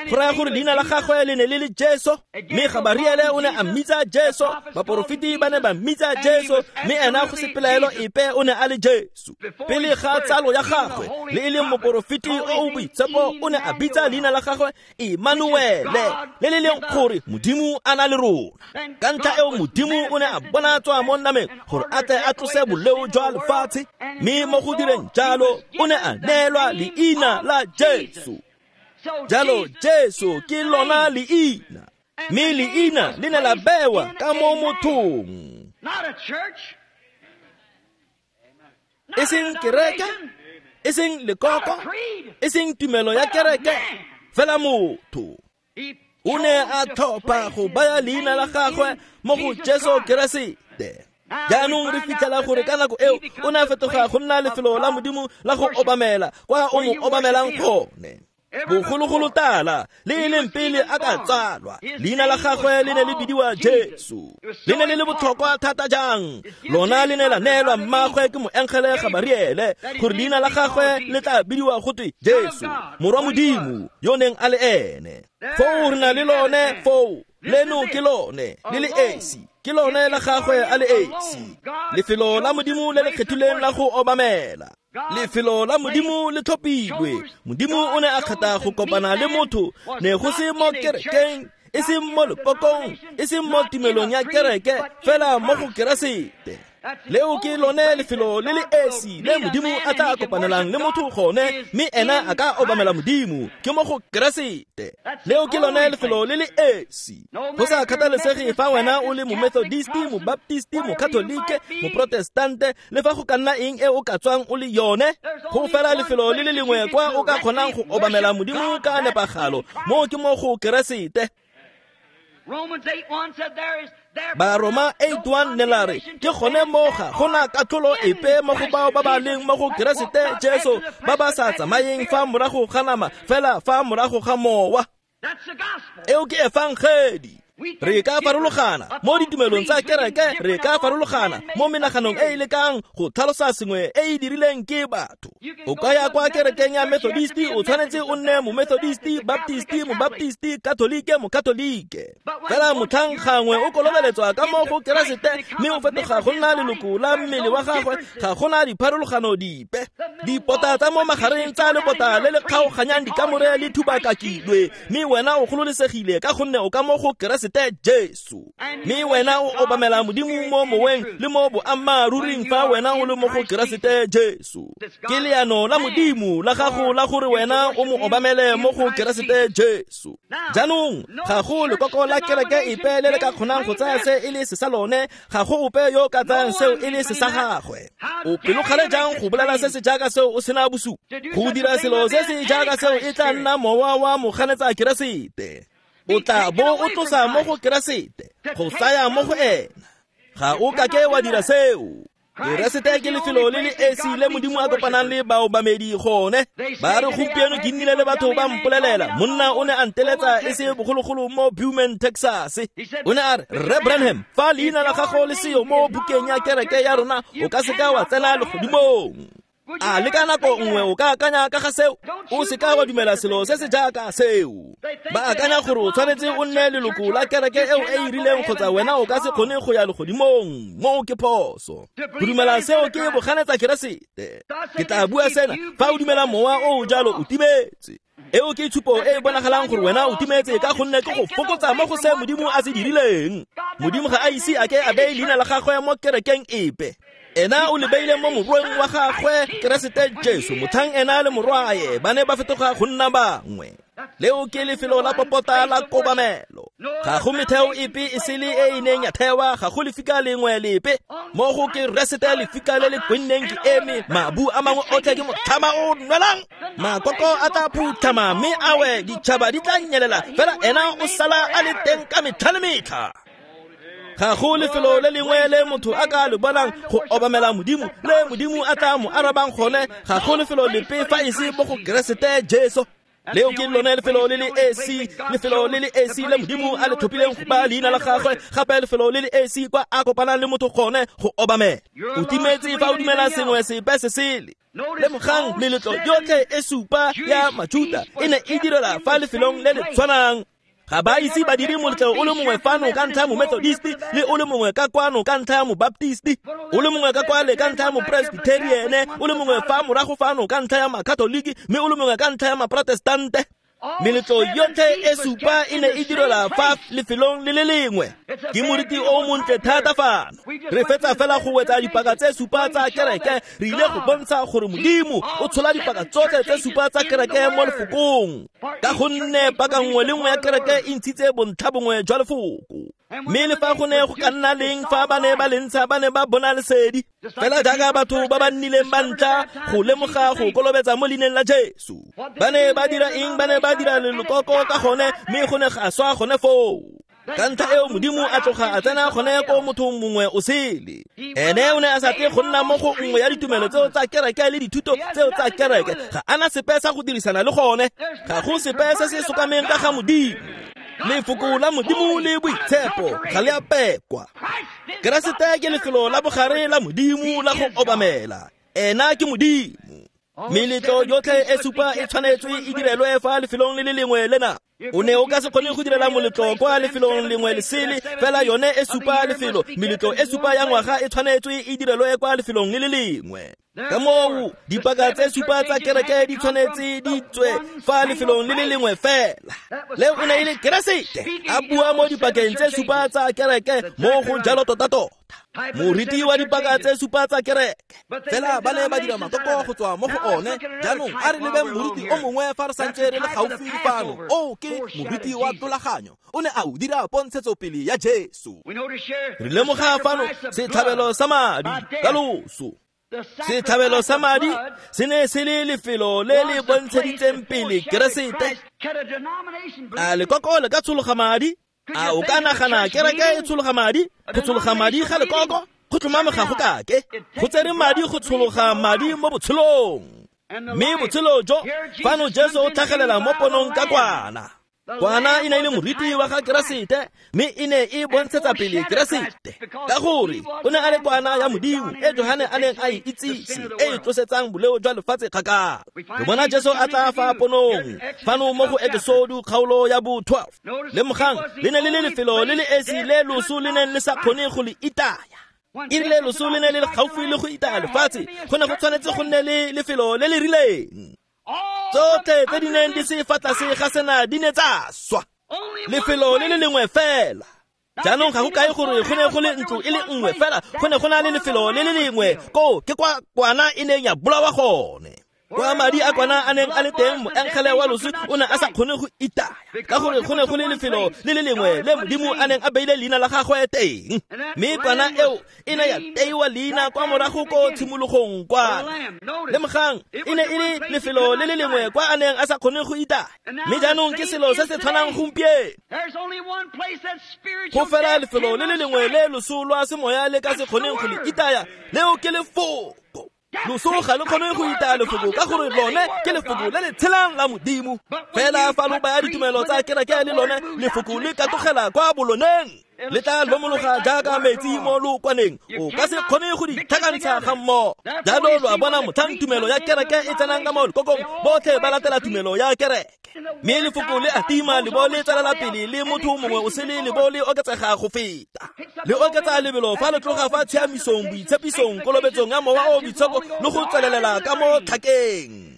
Go raya gore leina la gagwe le ne le le Jesu, mme Gabariele o ne a mmitsa Jesu, baporofeti ba ne ba mmitsa Jesu, mme ena go se pelaelo epe o ne a le Jesu. Pele ga tsalo ya gagwe, le e leng moporofeti o o boitshepo o ne a bitsa leina la gagwe Emmanuele, le le leng gore Modimo a na le rona. Ka ntlha eo Modimo o ne a bonatswa mo nameng gore a tle a tlose boleo jwa lefatshe, mme mo go direng jalo o ne a neelwa leina la Jesu. Jalo Jesu ke lona leina, mme leina le ne la bewa ka mo mothong. E seng kereke, e seng lekoko, e seng tumelo ya kereke, fela motho. O ne a tlhopha go baya leina la gagwe mo go Jesu Keresete. Jaanong re fitlhela gore ka nako eo o ne a fetoga go nna lefelo la Modimo la go obamela, kwa o mo obamelang gone. Bogologolo tala le e leng pele a ka tsalwa, leina la gagwe le ne le bidiwa Jesu. Le ne le le botlhokwa thata jang? Lona le ne la neelwa mmagwe ke moengele Gabariele gore leina la gagwe le tla bidiwa go twe Jesu, morwa Modimo yo neng a le ene. Foo re na le lone foo, leno ke lone le le esi, ke lone la gagwe a le esi. Lefelo la Modimo le le kgethileng la go obamela. Lefelo la Modimo le tlhophilwe. Modimo o ne a kgetha go kopana le motho, ne go se mo kerekeng, e seng mo lekokong, e seng mo tumelong ya kereke, fela mo go Keresete. Leo ke lone lefelo le le esi le Modimo a tla kopanelang le motho gone, mme ena a ka obamela Modimo, ke mo go Keresete. Leo ke lone lefelo le le esi. Go sa kgathalesege fa wena o le Momethodisti, Mobaptisti, Mokatolike, Moprotestante, le fa go ka nna eng e o ka tswang o le yone, go fela lefelo le le lengwe kwa o ka kgonang go obamela Modimo ka nepagalo, mo ke mo go Keresete. Baroma eight one ne la re ke gone mo ga gona katlholo epe mo go bao ba ba leng mo go Keresete Jesu, ba ba sa tsamayeng fa morago ga nama, fela fa morago ga mowa. Eo ke efangedi. Re ka farologana mo ditumelong tsa kereke, re ka farologana mo menaganong e e lekang go tlhalosa sengwe e e dirileng ke batho. O ka ya kwa kerekeng ya Methodisti, o tshwanetse o nne Momethodisti, Baptisti, Mobaptisti, Katolike, Mokatolike. Fela motlhang gangwe o kolobeletswa ka mo go Keresete, mme o fetoga go nna leloko la mmele wa gagwe, ga gona dipharologano dipe. Dipota tsa mo magareng tsa lebota le le kgaoganyang dikamore le thubakakilwe, mme wena o gololesegile ka gonne o ka mo go Keresete Jesu. Mme wena o obamela Modimo mo moweng le mo boammaaruring fa wena o le mo go Keresete Jesu. Ke leano la Modimo la gago la gore wena o mo obamele mo go Keresete Jesu. Jaanong ga go lekoko la kereke epe le le ka kgonang go tsaya se e le se sa lone, ga go ope yo ka tsayang seo e le se sa gagwe. O pelokgale jang go bolela se se jaaka seo o sena bosupi? Go dira selo se se jaaka seo e tla nna mowa wa moganetsa Keresete. O tla bo o tlosa mo go Keresete go tsaya mo go ena. Ga o kake wa dira seo. Keresete ke lefelo le le esi le Modimo a kopanang le baobamedi gone. Ba re gompieno ke nnile le batho ba mpolelela, monna o ne a nteletsa e se bogologolo mo Beaumont, Texas. O ne a re, Rre Branham, fa leina la gago le seyo mo bukeng ya kereke ya rona, o ka seka wa tsena legodimong. A le ka nako nngwe o ka akanya ka ga seo? O se ka wa dumela selo se se jaaka seo. Ba akanya gore o tshwanetse o nne leloko la kereke eo e e rileng kgotsa wena o ka se kgone go ya legodimong. Moo ke phoso. Go dumela seo ke boganetsa Keresete. Ke tla bua sena, fa o dumela mowa o o jalo o timetse. Eo ke tshupo e e bonagalang gore wena o timetse ka gonne ke go fokotsa mo go se Modimo a se dirileng. Modimo ga a ise a ke a beye leina la gagwe mo kerekeng epe. Ena o le beile mo morweng wa gagwe Keresete Jesu, motlhang ena le morwae ba ne ba fetoga go nna bangwe. Leo ke lefelo la popota la kobamelo. Ga go metheo epe e sele e e neng ya thewa, ga go lefika lengwe lepe. Mo go Keresete lefika le le kwenneng ke eme, mabu a mangwe otlhe ke motlhama o nwelang. Makoko a tla phutlhama mme a we, ditšhaba di tla nyelela, fela ena o sala a le teng ka metlha le metlha. Ga go lefelo le lengwe le motho a ka le bonang go obamela Modimo, le Modimo a tla mo arabang gone. Ga go lefelo lepe fa e se mo go Keresete Jesu. Leo ke lone lefelo le le esi, lefelo le le esi le Modimo a le tlhophileng go ba leina la gagwe, gape lefelo le le esi kwa a kopanang le motho gone go obamela. O timetse fa o dumela sengwe sepe se sele. Lemogang meletlo yotlhe e supa ya Majuta e ne e direla fa lefelong le le tshwanang. Ga ba ise ba dire moletlo o le mongwe fano ka ntlha ya Momethodist, le o le mongwe ka kwano ka ntlha ya Mobaptist, o le mongwe ka kwale ka ntlha ya Mopresbyterian, o le mongwe fa morago fano ka ntlha ya Makatoliki, mme o le mongwe ka ntlha ya Maprotestante. Meletlo yotlhe e supa e ne e direla fa lefelong le le lengwe. Ke moriti o montle thata fano. Re fetsa fela go wetsa dipaka tse supa tsa kereke, re ile go bontsha gore Modimo o tshola dipaka tsotlhe tse supa tsa kereke mo lefokong. Ka gonne paka nngwe le nngwe ya kereke e ntshitse bontlha bongwe jwa lefoko. Mme le fa go ne go ka nna leng fa ba ne ba le ntsha, ba ne ba bona lesedi. Fela jaaka batho ba ba nnileng ba ntlha go lemoga go kolobetsa mo leineng la Jesu. Ba ne ba dira eng? Ba ne ba dira lelokoko ka gone, mme go ne ga swa gone foo. Ka ntlha eo Modimo a tloga a tsena gone ko mothong mongwe o sele. Ene o ne a sa tle go nna mo go nngwe ya ditumelo tseo tsa kereke le dithuto tseo tsa kereke. Ga ana sepe sa go dirisana le gone. Ga go sepe se se sokameng ka ga Modimo. Lefoko la Modimo le boitshepo ga le a pekwa. Keresete ke lefelo la bogare la Modimo la go obamela. Ena ke Modimo. Meletlo yotlhe e supa e tshwanetswe e direlwe fa lefelong le le lengwe lena. O ne o ka se kgone go direla moletlo kwa lefelong lengwe le sele, fela yone e supa lefelo. Meletlo e supa ya ngwaga e tshwanetswe e direlwe kwa lefelong le le lengwe. Ka moo dipaka tse supa tsa kereke di tshwanetse di tswe fa lefelong le le lengwe fela. Leo o ne e le Keresete a bua mo dipakeng tse supa tsa kereke, mo go jalo tota-tota. Moriti wa dipaka tse supa tsa kereke. Fela ba ne ba dira makoko go tswa mo go one. Jaanong a re lebeng moriti o mongwe fa re santse re le gaufi fano. O ke moriti wa tlolaganyo. O ne a o dira pontshetsopele ya Jesu. Re lemoga fano setlhabelo sa madi ka loso. Setlhabelo sa madi se ne se le lefelo le le bontsheditseng pele Keresete. A lekoko le ka tshologa madi? A o ka nagana kereke e tshologa madi? Go tshologa madi ga lekoko go tlhomame ga go kake. Go tsere madi go tshologa madi mo botshelong. Mme botshelo jo fano Jesu o tlhagelela mo ponong ka kwana. Kwana e ne e le moriti wa ga Keresete, mme e ne e bontshetsa pele Keresete. Ka gore o ne a le kwana ya Modimo e Johane a neng a e itsise, e e tlosetsang boleo jwa lefatshe kgakala. Re bona Jesu a tla fa ponong fano mo go Exodo kgaolo ya bo twelve. Lemogang le ne le le lefelo le le esi le loso le neng le sa kgone go le itaya. E rile loso le ne le le gaufi le go itaya lefatshe, go ne go tshwanetse go nne le lefelo le le rileng. Tsotlhe tse di neng di se fa tlase ga sena di ne tsa swa. Lefelo le le lengwe fela. Jaanong ga go kae gore go ne go le ntlo e le nngwe fela, go ne go na le lefelo le le lengwe koo ke kwa kwana e neng ya bolawa gone. Kwa madi a kwana a neng a le teng, moengele wa loso o ne a sa kgone go itaya, ka gore go ne go le lefelo le le lengwe le Modimo a neng a beile leina la gagwe teng. Mme kwana eo e ne ya teiwa leina kwa morago ko tshimologong kwana. Lemogang e ne e le lefelo le le lengwe kwa a neng a sa kgone go itaya. Mme jaanong ke selo se se tshwanang gompieno. Go fela lefelo le le lengwe le loso lwa semoya le ka se kgoneng go le itaya, leo ke lefoko. Loso ga le kgone go itaya lefoko ka gore lone ke lefoko le le tshelang la Modimo. Fela fa lo baya ditumelo tsa kereke le lone, lefoko le katogela kwa boloneng. Le tla lomologa jaaka metsi mo lookwaneng, o ka se kgone go di tlhakantsha ga mmogo. Jalo lo a bona motlhang tumelo ya kereke e tsenang ka mo lekokong, botlhe ba latela tumelo ya kereke. Mme lefoko le a tima le bo le tswelela pele le motho mongwe o sele le bo le oketsega go feta. Le oketsa lebelo fa le tloga fa tshiamisong, boitshepisong, kolobetsong ya mowa o boitshepo le go tswelelela ka mo tlhakeng.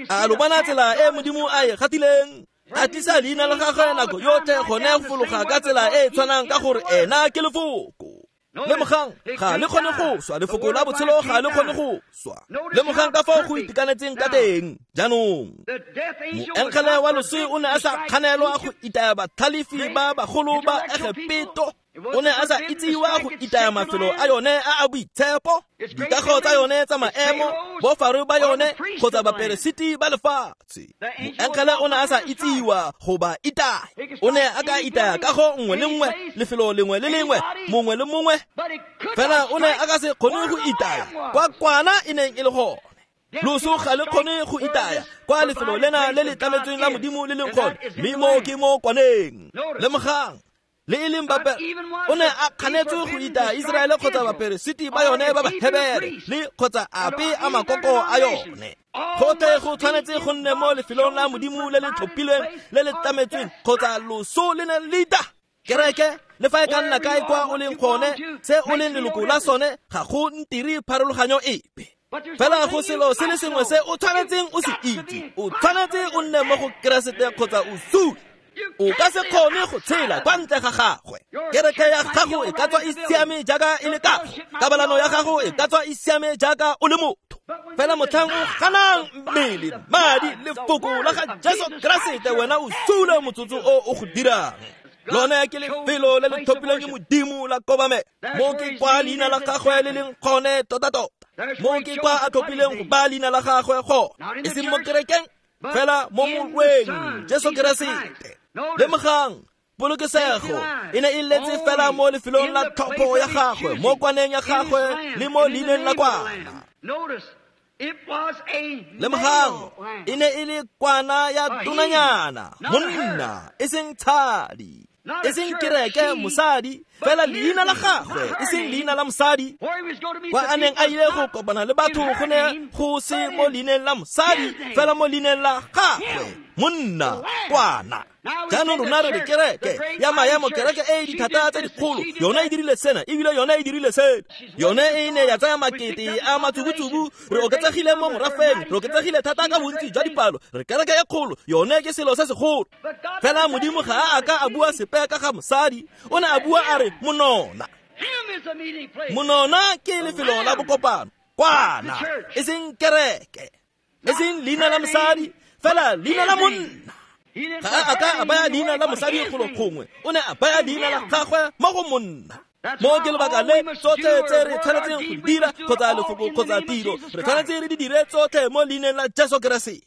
A lo bona tsela e Modimo a e gatileng? A tlisa leina la gagwe nako yotlhe gone go fologa ka tsela e e tshwanang ka gore ena ke lefoko. Lemogang, ga le kgone go swa, lefoko la botshelo ga le kgone go swa. Lemogang ka fao go itekanetseng ka teng. Jaanong moengele wa loso o ne a sa kganelwa go itaya batlhalefi ba bagolo ba Egepeto. O ne a sa itsiwa go itaya mafelo a yone a a boitshepo, dikago tsa yone tsa maemo, bofaro ba yone kgotsa baperesiti ba lefatshe. Moengele o ne a sa itsiwa go ba itaya. O ne a ka itaya kago nngwe le nngwe, lefelo lengwe le lengwe, mongwe le mongwe, fela o ne a ka se kgone go itaya kwa kwana e neng e le gone. Loso ga le kgone go itaya kwa lefelo lena le le tlametsweng la Modimo le leng gone, mme mo ke mo kwaneng. Lemogang, le e leng bape o ne a kganetswe go itaya Iseraele kgotsa baperesiti ba yone ba Bahebere le kgotsa ape a makoko a yone. Gotlhe go tshwanetse go nne mo lefelong la Modimo le le tlhophilweng le le tlametsweng kgotsa loso le ne le ita. Kereke le fa e ka nna kae kwa o leng gone, se o leng leloko la sone, ga go ntire pharologanyo epe. Fela go selo se le sengwe se o tshwanetseng o se itse, o tshwanetse o nne mo go Keresete kgotsa o sule. O ka se kgone go tshela kwa ntle ga gagwe. Kereke ya gago e ka tswa e siame jaaka e le kago, kabalano ya gago e ka tswa e siame jaaka o le motho, fela motlhang o ganang mmele, madi, lefoko la ga Jesu Keresete, wena o sule motsotso o o go dirang. Lone ke lefelo le le tlhophilweng ke Modimo la kobamelo. Mo ke kwa leina la gagwe le leng gone tota-tota. Mo ke kwa a tlhophileng go ba leina la gagwe gone, e seng mo kerekeng, fela mo morweng Jesu Keresete. Lemogang, polokesego e ne e letse fela mo lefelong la tlhopho ya gagwe, mo kwaneng ya gagwe le mo leineng la kwana. Lemogang, e ne e le kwana ya tonanyana, monna, e seng tshadi, e seng kereke, mosadi, fela leina la gagwe, e seng leina la mosadi. Kwa a neng a ile go kopana le batho go ne go se mo leineng la mosadi, fela mo leineng la gagwe, monna, kwana. Jaanong rona re re kereke ya maemo, kereke e e dithata tse dikgolo, yone e dirile sena ebile yone e dirile sena, yone e ne ya tsaya makete a matsubutsubu, re oketsegile mo morafeng, re oketsegile thata ka bontsi jwa dipalo, re kereke e kgolo, yone ke selo se segolo. Fela Modimo ga a ka a bua sepe ka ga mosadi, o ne a bua a re monona. Monona ke lefelo la bokopano, kwana, e seng kereke, e seng leina la mosadi, fela leina la monna. Ga a ka a baya leina la mosadi golo gongwe, o ne a baya leina la gagwe mo go monna. Mo ke lebaka le tsotlhe tse re tshwanetseng go dira, kgotsa lefoko kgotsa tiro, re tshwanetse re di dire tsotlhe mo leineng la Jesu Keresete.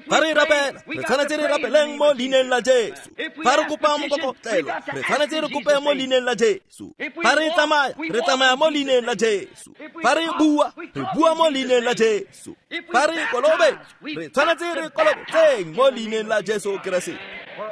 Fa re rapela, re tshwanetse re rapeleng mo leineng la Jesu. Fa re kopa mokokotlelo, re tshwanetse re kope mo leineng la Jesu. Fa re tsamaya, re tsamaya mo leineng la Jesu. Fa re bua, re bua mo leineng la Jesu. Fa re kolobetsa, re tshwanetse re kolobetseng mo leineng la Jesu Keresete.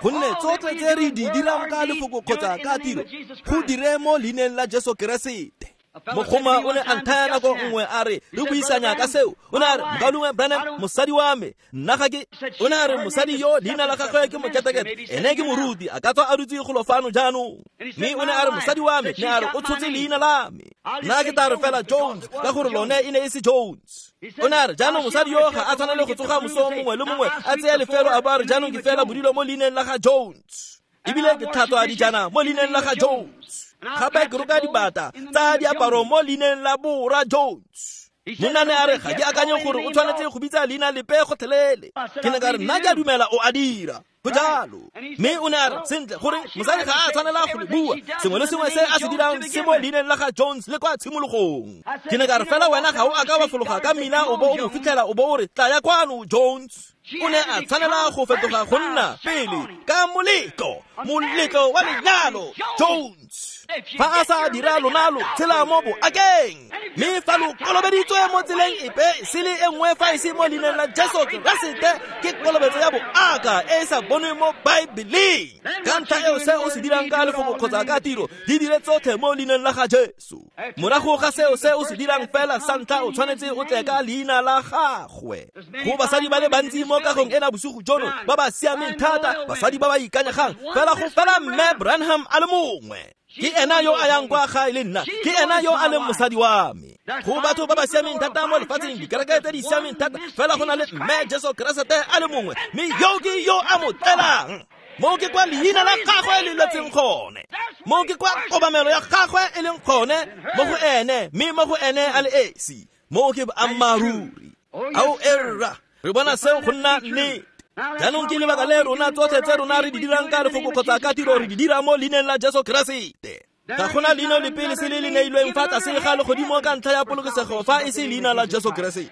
Gonne tsotlhe tse re di dirang ka lefoko kgotsa ka tiro, go dire mo leineng la Jesu Keresete. Mogoma o ne a nthaya nako nngwe a re re buisanya ka seo. O ne a re, Mokaulengwe Branham, mosadi wa me, nna ga ke. O ne a re mosadi yo leina la gagwe ke Moketekete, ene ke moruti, a ka tswa a dutse golo fano jaanong. Mme o ne a re mosadi wa me, ne a re o tshotse leina la me. Nna ke tla re fela Jones, ka gore lone e ne e se Jones. O ne a re jaanong mosadi yo ga a tshwanele go tsoga moso mongwe le mongwe a tseye lefelo a bo a re jaanong ke fela bodilo mo leineng la ga Jones, ebile ke tlhatswa dijana mo leineng la ga Jones, gape ke roka dibata tsa diaparo mo leineng la Bora Jones. Monna ne a re ga ke akanye gore o tshwanetse go bitsa leina lepe gotlhelele. Ke ne ka re nna ke a dumela o a dira go jalo. Mme o ne a re sentle gore mosadi ga a tshwanela go le bua, sengwe le sengwe se a se dirang se mo leineng la ga Jones le kwa tshimologong. Ke ne ka re fela wena ga o a ka wa fologa ka mmila o bo o mo fitlhela o bo o re tla ya kwano Jones. O ne a tshwanela go fetoga go nna pele ka moletlo, moletlo wa lenyalo, Jones. Fa a sa dira lona lo tshela mo boakeng, mme fa lo kolobeditswe mo tseleng epe sele e nngwe fa e se mo leineng la Jesu Keresete, ke kolobetso ya boaka e e sa bonweng mo Baebeleng. Ka ntlha eo se o se dirang ka lefoko kgotsa ka tiro, di dire tsotlhe mo leineng la ga Jesu. Morago ga seo se o se dirang fela sa ntlha o tshwanetse o tle ka leina la gagwe. Go basadi ba le bantsi mo kagong ena bosigo jono ba ba siameng thata, basadi ba ba ikanyegang, fela go fela Mme Branham a le mongwe. Ke ena yo a yang kwa gae le nna, ke ena yo a leng mosadi wa me. Go batho ba ba siameng thata mo lefatsheng, dikereke tse di siameng thata, fela go na le Mme Jesu Keresete a le mongwe, mme yo ke yo a mo tlelang. Mo ke kwa leina la gagwe le letseng gone, mo ke kwa kobamelo ya gagwe e leng gone mo go ene, mme mo go ene a le esi. Mo ke boammaaruri. Ao erra, re bona seo go nna nnete. Jaanong ke lebaka le rona tsotlhe tse rona re di dirang ka lefoko kgotsa ka tiro re di dira mo leineng la Jesu Keresete. Ga gona leina lepe le se le le neilweng fa tlase ga legodimo ka ntlha ya polokesego fa e se leina la Jesu Keresete.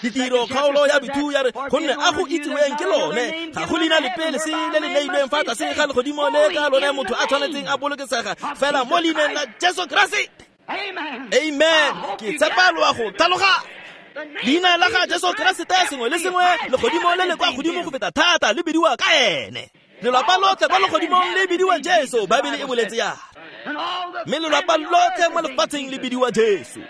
Ditiro kgaolo ya bithu ya re gonne a go itsiweng ke lone, ga go leina lepe le se le le neilweng fa tlase ga legodimo le ka lone motho a tshwanetseng a bolokesega fela mo leineng la Jesu Keresete. Amen. Ke tshepa lo a go tlhaloga. Leina la ga Jesu Keresete sengwe le sengwe legodimo le le kwa godimo go feta thata le bidiwa ka ene. Lelapa lotlhe kwa legodimong le bidiwa Jesu, Baebele e boletse ya. Mme lelapa lotlhe mo lefatsheng le bidiwa Jesu.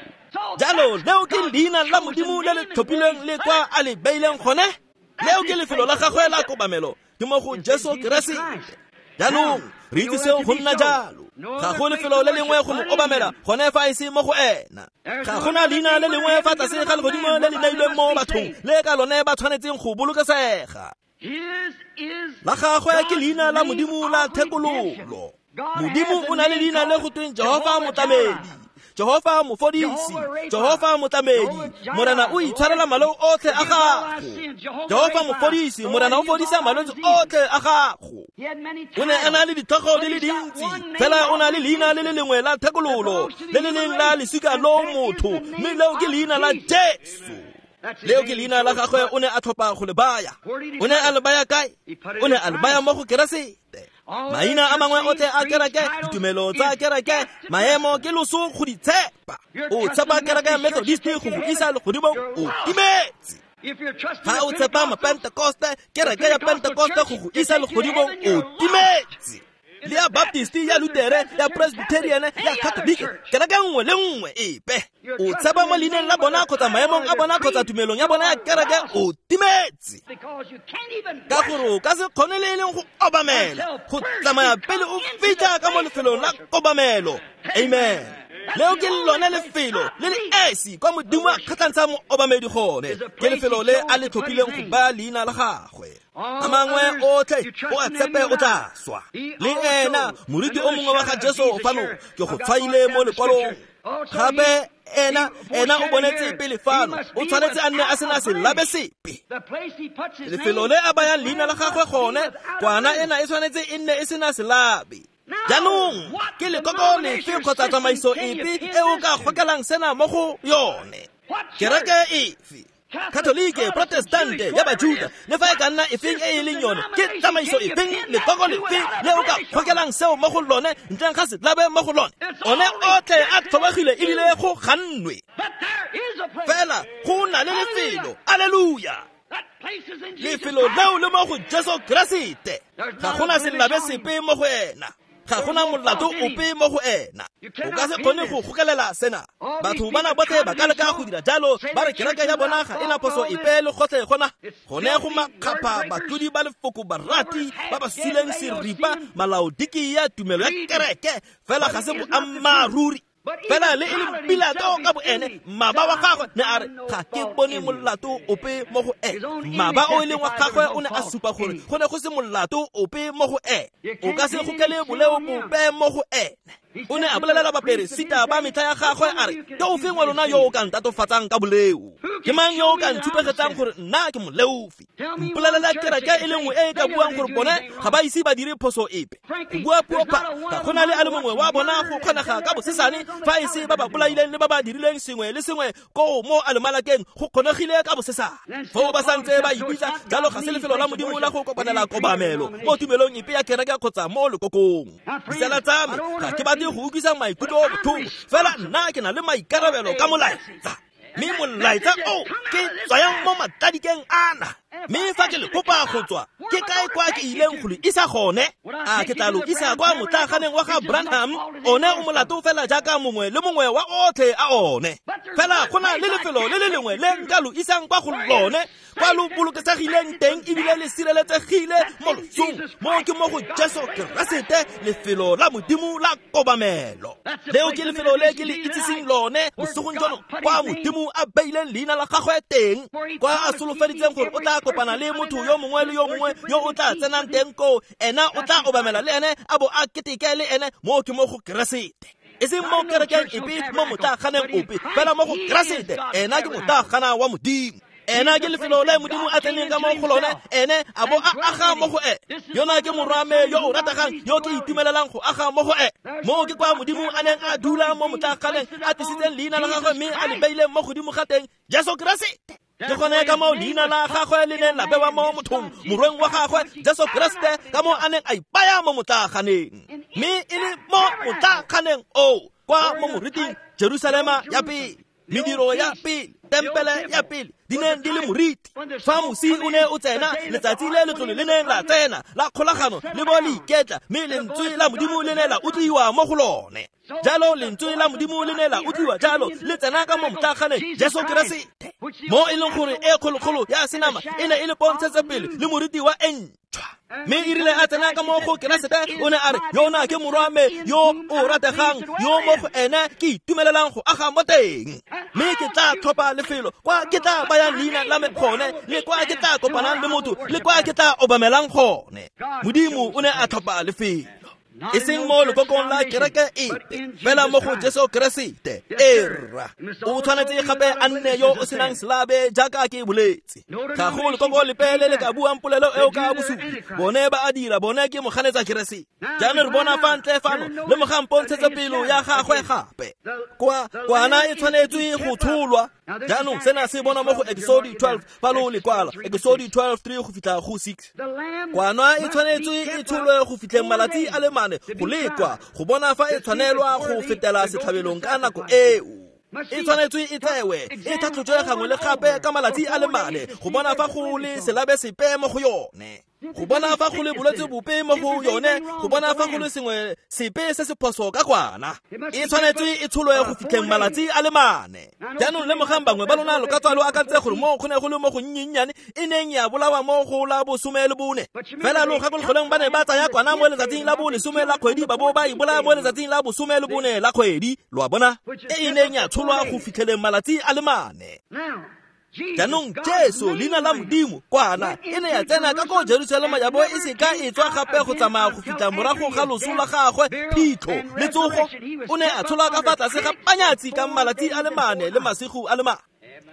Jalo leo ke leina la Modimo le le tlhophilweng le kwa a le beileng gone. Leo ke lefelo la gagwe la kobamelo, ke mo go Jesu Keresete. Jaanong re itse seo go nna jalo. Ga go lefelo le lengwe go mo obamela gone fa e se mo go ena. Ga gona leina le lengwe fa tlase ga legodimo le le neilweng mo bathong le ka lone ba tshwanetseng go bolokesega. La gagwe ke leina la Modimo la thekololo. Modimo o na le leina le go tweng Jehofa Motlamedi, Jehofa Mofodisi, Jehofa Motlamedi. Morena o itshwarela maleo otlhe a gago. Jehofa Mofodisi, Morena o fodisa malwetse otlhe a gago. O ne a na le ditlhogo di le dintsi, fela o na le leina le le lengwe la thekololo, le le leng la lesika lo motho, mme leo ke leina la Jesu. Leo ke leina la gagwe o ne a tlhopha go le baya. O ne a le baya kae? O ne a le baya mo go Keresete. Maina a mangwe otlhe a kereke, ditumelo tsa kereke, maemo ke loso go di tshepa. O tshepa kereke ya Methodist go go isa legodimong, o timetse. Fa o tshepa Mapentekoste, kereke ya Pentekoste go go isa legodimong, o timetse. Le ya Baptist, ya Lutere, ya Presbyterian, ya Catholic, kereke nngwe le nngwe epe. O tshepa mo leineng la bona kgotsa maemong a bona kgotsa tumelong ya bona ya kereke, o timetse. Ka gore o ka se kgone le e leng go obamela, go tsamaya pele o fitlha ka mo lefelong la kobamelo. Amen. Leo ke lone lefelo le le esi kwa Modimo a kgatlhantshang mo obamedi gone. Ke lefelo le a le tlhophileng go baya leina la gagwe. A mangwe otlhe o a tshepe o tla swa. Le ena moriti o mongwe wa ga Jesu fano ke go tshwaile mo lekwalong. Gape ena ena o bonetse pele fano, o tshwanetse a nne a sena selabe sepe. Lefelo le a bayang leina la gagwe gone, kwana ena e tshwanetse e nne e sena selabe. Jaanong ke lekoko lefe kgotsa tsamaiso epe e o ka gokelang sena mo go yone? Kereke efe? Katolike, Protestante, ya Bajuda, le fa e ka nna efeng e e leng yone, ke tsamaiso efeng, lekoko lefe le o ka gokelang seo mo go lone ntleng ga selabe mo go lone? One otlhe a tlhobogile ebile go gannwe. Fela go na le lefelo, alleluia. Lefelo leo le mo go Jesu Keresete. Ga gona selabe sepe mo go ena. Ga gona molato ope mo go ena. O ka se kgone go gokelela sena. Batho bana botlhe ba ka leka go dira jalo, ba re kereke ya bona ga ena phoso epe le gotlhe gona. Gone go makgapha batlodi ba lefoko barati ba ba suleng seripa malaodiki ya tumelo ya kereke, fela ga se boammaaruri. Fela le e leng Pilato ka boene, mmaba wa gagwe ne a re ga ke bone molato ope mo go ene. Mmaba o e leng wa gagwe o ne a supa gore go ne go se molato ope mo go ene. O ka se gokele boleo bope mo go ene. O ne a bolelela baperesita ba metlha ya gagwe a re, ke ofeng wa lona yo o ka ntatofatsang ka boleo? Ke mang yo o ka ntshupegetsang gore nna ke moleofi? Mpolelela kereke e le nngwe e e ka buang gore bone ga ba ise ba dire phoso epe. Go bua puo pha, ga gona le a le mongwe wa bona go kgonega ka bosesane Fa e se ba ba bolaileng le ba ba dirileng sengwe le sengwe koo mo alemalakeng go kgonegile ka bosesane. Foo ba santse ba ipitsa jalo ga se lefelo la Modimo la go kopanela kobamelo mo tumelong epe ya kereke kgotsa mo lekokong. Ditsala tsa me, ga ke batle go utlwisa maikutlo botlhoko, fela nna ke na le maikarabelo ka molaetsa. Mme molaetsa o ke tswayang mo matladikeng ana. Mme fa ke le kopa go tswa, ke kae kwa ke ileng go le isa gone? A ke tla lo isa kwa motlaganeng wa ga Branham? One o molato fela jaaka mongwe le mongwe wa otlhe a one. Fela go na le lefelo le le lengwe le nka lo isang kwa go lone, kwa lo bolokesegileng teng ebile le sireletsegile mo losong. Mo ke mo go Jesu Keresete, lefelo la Modimo la kobamelo. Leo ke lefelo le ke le itsiseng lone bosigong jono, kwa Modimo a beileng leina la gagwe teng, kwa a solofeditseng gore o tla kopana le motho yo mongwe le yo mongwe yo o tla tsenang teng koo, ena o tla obamela le ene a bo a keteke le ene. Mo ke mo go Keresete, e seng mo kerekeng epe, mo motlaganeng ope, fela mo go Keresete. Ena ke motlagana wa Modimo. Ena ke lefelo le Modimo a tseneng ka mo go lone, ene a bo a aga mo go ene. Yona ke morwame yo o rategang, yo ke itumelelang go aga mo go ene. Mo ke kwa Modimo a neng a dula mo motlaganeng, a tlisitseng leina la gagwe mme a le beileng mo godimo ga teng, Jesu Keresete. Ke gone ka moo leina la gagwe le neng la bewa mo mothong, morweng wa gagwe Jesu Keresete, ka moo a neng a ipaya mo motlaganeng. Mme e le mo motlaganeng oo, kwa mo moriting Jerusalema ya pele, mediro ya pele, tempele ya pele, di neng di le moriti. Fa mosi o ne o tsena, letsatsi le letlole le neng la tsena la kgolagano le bo le iketla, mme lentswe la Modimo le ne la utlwiwa mo go lone. Jalo lentswe la Modimo le ne la utlwiwa jalo, le tsena ka mo motlaganeng Jesu Keresete, mo e leng gore e kgolokgolo ya senama e ne e le pontshetse pele le moriti wa e ntšhwa. Mme e rile a tsena ka mo go Keresete, o ne a re, yona ke morwame yo o rategang, yo mo go ene ke itumelelang go aga mo teng. Mme ke tla tlhopha lefelo kwa ke tla bayang leina la me gone, le kwa ke tla kopanang le motho, le kwa ke tla obamelang gone. Modimo o ne a tlhopha lefelo, e seng mo lekokong la kereke epe, fela mo go Jesu Keresete. Erra, o tshwanetse gape a nne yo o senang selabe jaaka ke boletse. Ga go lekoko lepe le le ka buang polelo eo ka bosupi. Bone ba a dira, bone ke moganetsa Keresete. Jaanong re bona fa ntle fano, le mogang pontshetse pelo ya gagwe gape. Kwa kwana e tshwanetswe go tsholwa. Jaanong sena se bona mo go Exodus twelve, fa lo le kwala Exodus twelve three go fitlha go six. Kwana e tshwanetswe e tsholwe go fitlheng malatsi a le mane go lekwa, go bona fa e tshwanelwa go fetela setlhabelong ka nako eo. E tshwanetswe e tsewe, e tlhatlhojwe gangwe le gape ka malatsi a le mane, go bona fa go le selabe sepe mo go yone, go bona fa go le bolwetse bope mo go yone, go bona fa go le sengwe sepe se se phoso ka kwana. E tshwanetswe e tsholwe go fitlheng malatsi a le mane. Jaanong lemogang bangwe ba lona lo ka tswa lo akantse gore mo go ne go le mo go nnyennyane e neng ya bolawa mo go la bosome le bone. Fela lo gakologelweng ba ne ba tsaya kwana mo letsatsing la bolesome la kgwedi, ba bo ba e bolaya mo letsatsing la bosome le bone la kgwedi, lo a bona, e e neng ya tsholwa go fitlheleng malatsi a le mane. Jaanong Jesu, leina la Modimo, kwana e ne ya tsena ka ko Jerusalema ya bo e se ka e tswa gape go tsamaya go fitlha morago ga loso la gagwe, phitlho le tsogo. O ne a tsholwa ka fa tlase ga panyatsi ka malatsi a le mane le masigo a le mane.